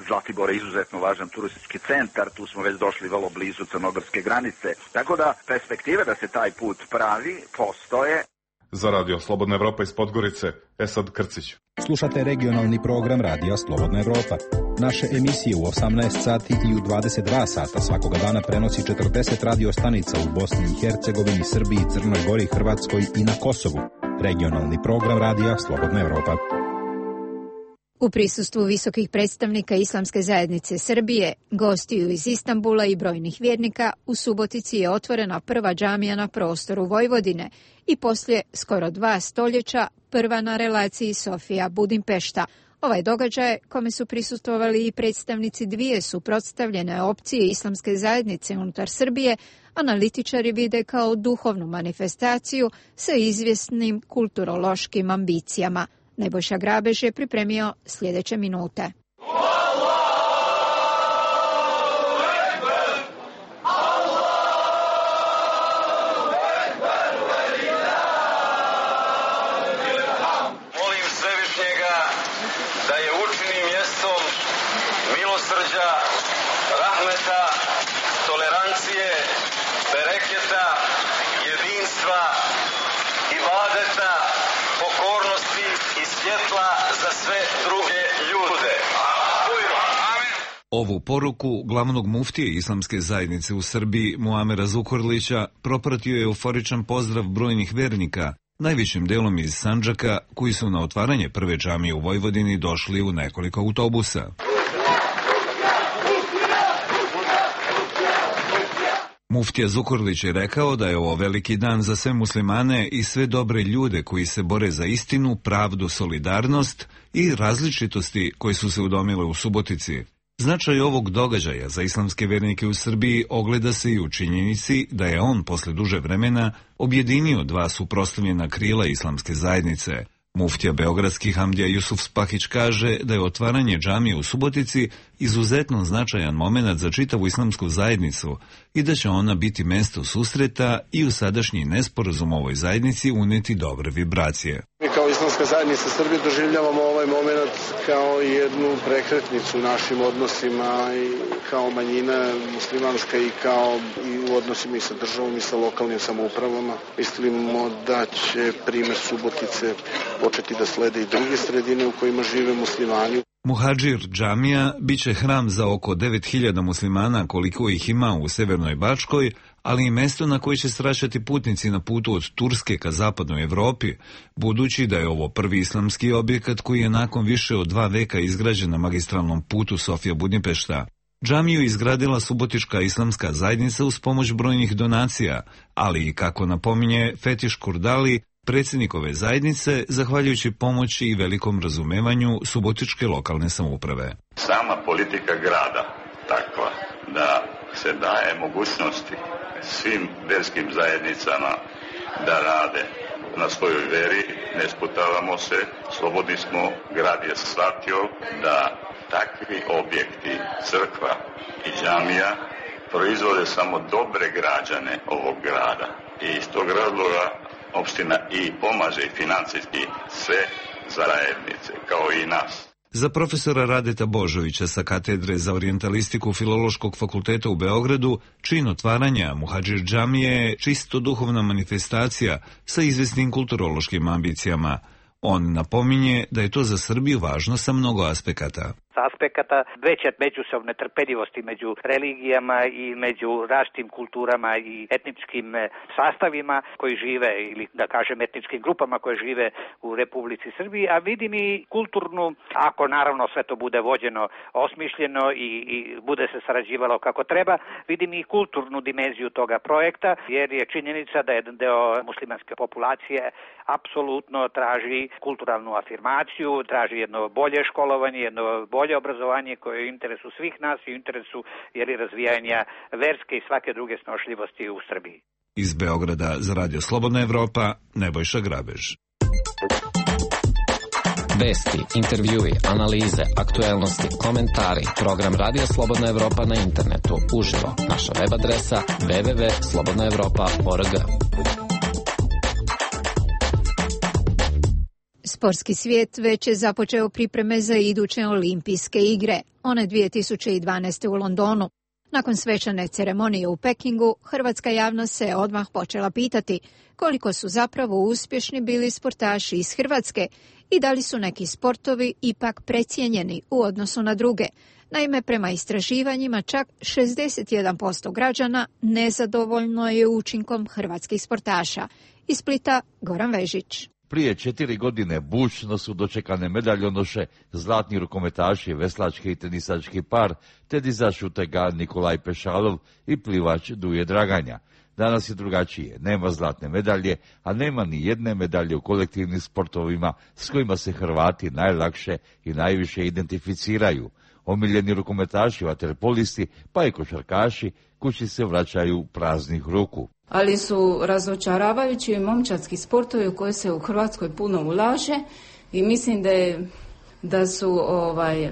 Zlatibor je izuzetno važan turistički centar, tu smo već došli vrlo blizu crnogorske granice. Tako da perspektive da se taj put pravi postoje. Za Radio Slobodna Evropa iz Podgorice, Esad Krcić. Slušate regionalni program Radija Slobodna Evropa. Naše emisije u 18 sati i u 22 sata svakoga dana prenosi 40 radio stanica u Bosni i Hercegovini, Srbiji, Crnoj Gori, Hrvatskoj i na Kosovu. Regionalni program Radija Slobodna Evropa. U prisustvu visokih predstavnika Islamske zajednice Srbije, gostiju iz Istanbula i brojnih vjernika, u Subotici je otvorena prva džamija na prostoru Vojvodine i poslije skoro 2 stoljeća prva na relaciji Sofija-Budimpešta. Ovaj događaj, kome su prisustvovali i predstavnici dvije suprotstavljene opcije Islamske zajednice unutar Srbije, analitičari vide kao duhovnu manifestaciju sa izvjesnim kulturološkim ambicijama. Nebojša Grabež je pripremio sljedeće minute. Molim Svevišnjega da je učini mjestom milosrđa, rahmeta, tolerancije, bereketa, jedinstva, ibadeta, pokornosti i svjetla za sve druge ljude. Ovu poruku glavnog muftije Islamske zajednice u Srbiji, Muamera Zukorlića, propratio je euforičan pozdrav brojnih vernika, najvećim delom iz Sandžaka, koji su na otvaranje prve džamije u Vojvodini došli u nekoliko autobusa. Muftija Zukorlić je rekao da je ovo veliki dan za sve muslimane i sve dobre ljude koji se bore za istinu, pravdu, solidarnost i različitosti koje su se udomile u Subotici. Značaj ovog događaja za islamske vernike u Srbiji ogleda se i u činjenici da je on posle duže vremena objedinio dva suprotstavljena krila islamske zajednice. Muftija beogradski Hamdija Jusuf Spahić kaže da je otvaranje džamije u Subotici izuzetno značajan moment za čitavu islamsku zajednicu i da će ona biti mesto susreta i u sadašnji nesporazum ovoj zajednici uneti dobre vibracije. Mi kao Islamska zajednica Srbije doživljavamo ovaj moment kao jednu prekretnicu u našim odnosima i kao manjina muslimanska i kao i u odnosima i sa državom i sa lokalnim samoupravama. Mislimo da će primjer Subotice početi da slede i druge sredine u kojima žive muslimani. Muhadžir džamija biće hram za oko 9000 muslimana koliko ih ima u Severnoj Bačkoj, ali i mesto na koje će sraćati putnici na putu od Turske ka zapadnoj Evropi, budući da je ovo prvi islamski objekat koji je nakon više od 2 veka izgrađen na magistralnom putu Sofija-Budimpešta. Džamiju izgradila Subotička islamska zajednica uz pomoć brojnih donacija, ali i, kako napominje Fetiš Kurdali, predsjednik ove zajednice, zahvaljujući pomoći i velikom razumevanju Subotičke lokalne samouprave. Sama politika grada takva da se daje mogućnosti svim vjerskim zajednicama da rade na svojoj veri, ne sputavamo se, slobodni smo, grad je shvatio da takvi objekti, crkva i džamija proizvode samo dobre građane ovog grada. I iz tog razloga opština i pomaže financijski sve zajednice, kao i nas. Za profesora Radeta Božovića sa katedre za orijentalistiku Filološkog fakulteta u Beogradu, čin otvaranja Muhadžir džamije je čisto duhovna manifestacija sa izvesnim kulturološkim ambicijama. On napominje da je to za Srbiju važno sa mnogo aspekata. Aspekata veće međusobne trpeljivosti među religijama i među različitim kulturama i etničkim sastavima koji žive, ili da kažem etničkim grupama koje žive u Republici Srbiji, a vidim i kulturnu, ako naravno sve to bude vođeno, osmišljeno i bude se sarađivalo kako treba, vidim i kulturnu dimenziju toga projekta, jer je činjenica da jedan deo muslimanske populacije apsolutno traži kulturalnu afirmaciju, traži jedno bolje školovanje, jedno bolje obrazovanje koje je u interesu svih nas i u interesu razvijanja verske i svake druge snošljivosti u Srbiji. Iz Beograda za Radio Slobodna Evropa, Nebojša Grabež. Vesti, intervjui, analize, aktuelnosti, komentari, program Radio Slobodna Evropa na internetu, uživo, naša web adresa www.slobodnaevropa.org. Sportski svijet već je započeo pripreme za iduće olimpijske igre, one 2012. u Londonu. Nakon svečane ceremonije u Pekingu, hrvatska javnost se odmah počela pitati koliko su zapravo uspješni bili sportaši iz Hrvatske i da li su neki sportovi ipak precijenjeni u odnosu na druge. Naime, prema istraživanjima čak 61% građana nezadovoljno je učinkom hrvatskih sportaša. Iz Splita, Goran Vežić. Prije 4 godine bučno su dočekane medaljonoše, zlatni rukometaši, veslački i tenisački par, tenisač utega Nikolaj Pešalov i plivač Duje Draganja. Danas je drugačije, nema zlatne medalje, a nema ni jedne medalje u kolektivnim sportovima s kojima se Hrvati najlakše i najviše identificiraju. Omiljeni rukometaši, vaterpolisti, pa i košarkaši kući se vraćaju praznih ruku. Ali su razočaravajući momčadski sportovi u koje se u Hrvatskoj puno ulaže i mislim da su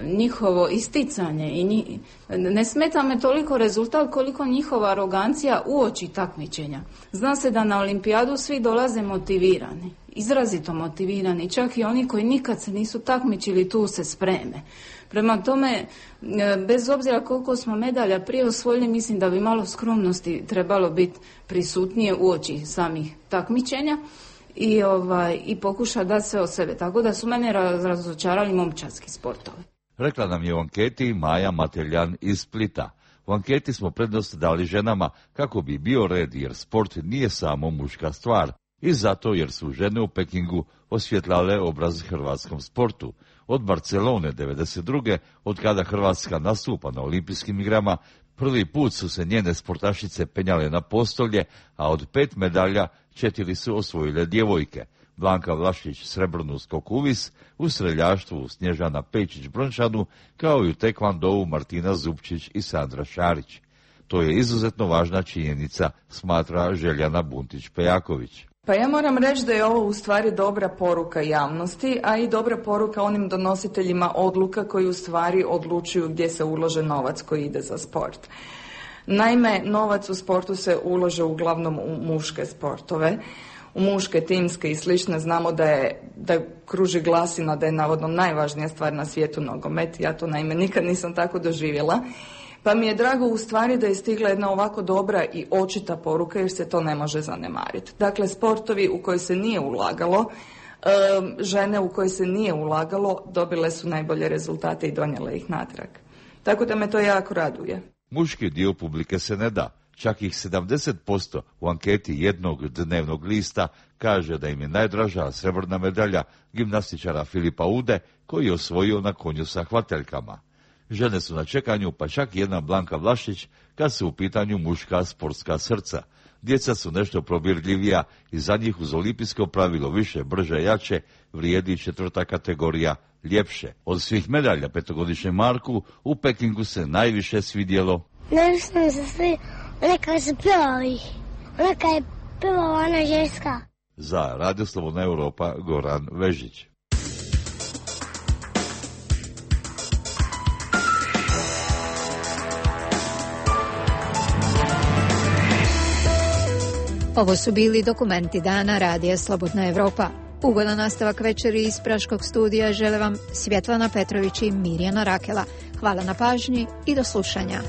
njihovo isticanje i ne smeta me toliko rezultat koliko njihova arogancija uoči takmičenja. Zna se da na olimpijadu svi dolaze motivirani, izrazito motivirani, čak i oni koji nikad se nisu takmičili tu se spreme. Prema tome, bez obzira koliko smo medalja prije osvojili, mislim da bi malo skromnosti trebalo biti prisutnije uoči samih takmičenja i pokuša da se od sebe. Tako da su mene razočarali momčadski sportovi. Rekla nam je u anketi Maja Mateljan iz Splita. U anketi smo prednost dali ženama kako bi bio red, jer sport nije samo muška stvar. I zato jer su žene u Pekingu osvjetlale obraz hrvatskom sportu. Od Barcelone 1992. od kada Hrvatska nastupa na olimpijskim igrama, prvi put su se njene sportašice penjale na postolje, a od 5 medalja 4 su osvojile djevojke. Blanka Vlašić srebrnu skok uvis, u streljaštvu Snježana Pečić brončanu, kao i u tekvandou Martina Zupčić i Sandra Šarić. To je izuzetno važna činjenica, smatra Željana Buntić-Pejaković. Pa ja moram reći da je ovo u stvari dobra poruka javnosti, a i dobra poruka onim donositeljima odluka koji u stvari odlučuju gdje se ulože novac koji ide za sport. Naime, novac u sportu se ulože uglavnom u muške sportove, u muške timske i slične. Znamo da kruži glasina da je navodno najvažnija stvar na svijetu nogomet. Ja to naime nikad nisam tako doživjela. Pa mi je drago u stvari da je stigla jedna ovako dobra i očita poruka, jer se to ne može zanemariti. Dakle, sportovi u koje se nije ulagalo, žene u koje se nije ulagalo, dobile su najbolje rezultate i donijele ih natrag. Tako da me to jako raduje. Muški dio publike se ne da. Čak ih 70% u anketi jednog dnevnog lista kaže da im je najdraža srebrna medalja gimnastičara Filipa Ude, koji je osvojio na konju sa hvateljkama. Žene su na čekanju, pa čak i jedna Blanka Vlašić, kad su u pitanju muška sportska srca. Djeca su nešto probirljivija i za njih uz olimpijsko pravilo više, brže, jače vrijedi 4. kategorija ljepše. Od svih medalja petogodišnjem Marku u Pekingu se najviše svidjelo. Najviše mi se svi one kada su pjevali, ona kada je pjevala ona ženska. Za Radio Slobodna Europa Goran Vežić. Ovo su bili dokumenti dana Radija Slobodna Evropa. Ugodan nastavak večeri iz Praškog studija žele vam Svjetlana Petrović i Mirjana Rakela. Hvala na pažnji i do slušanja.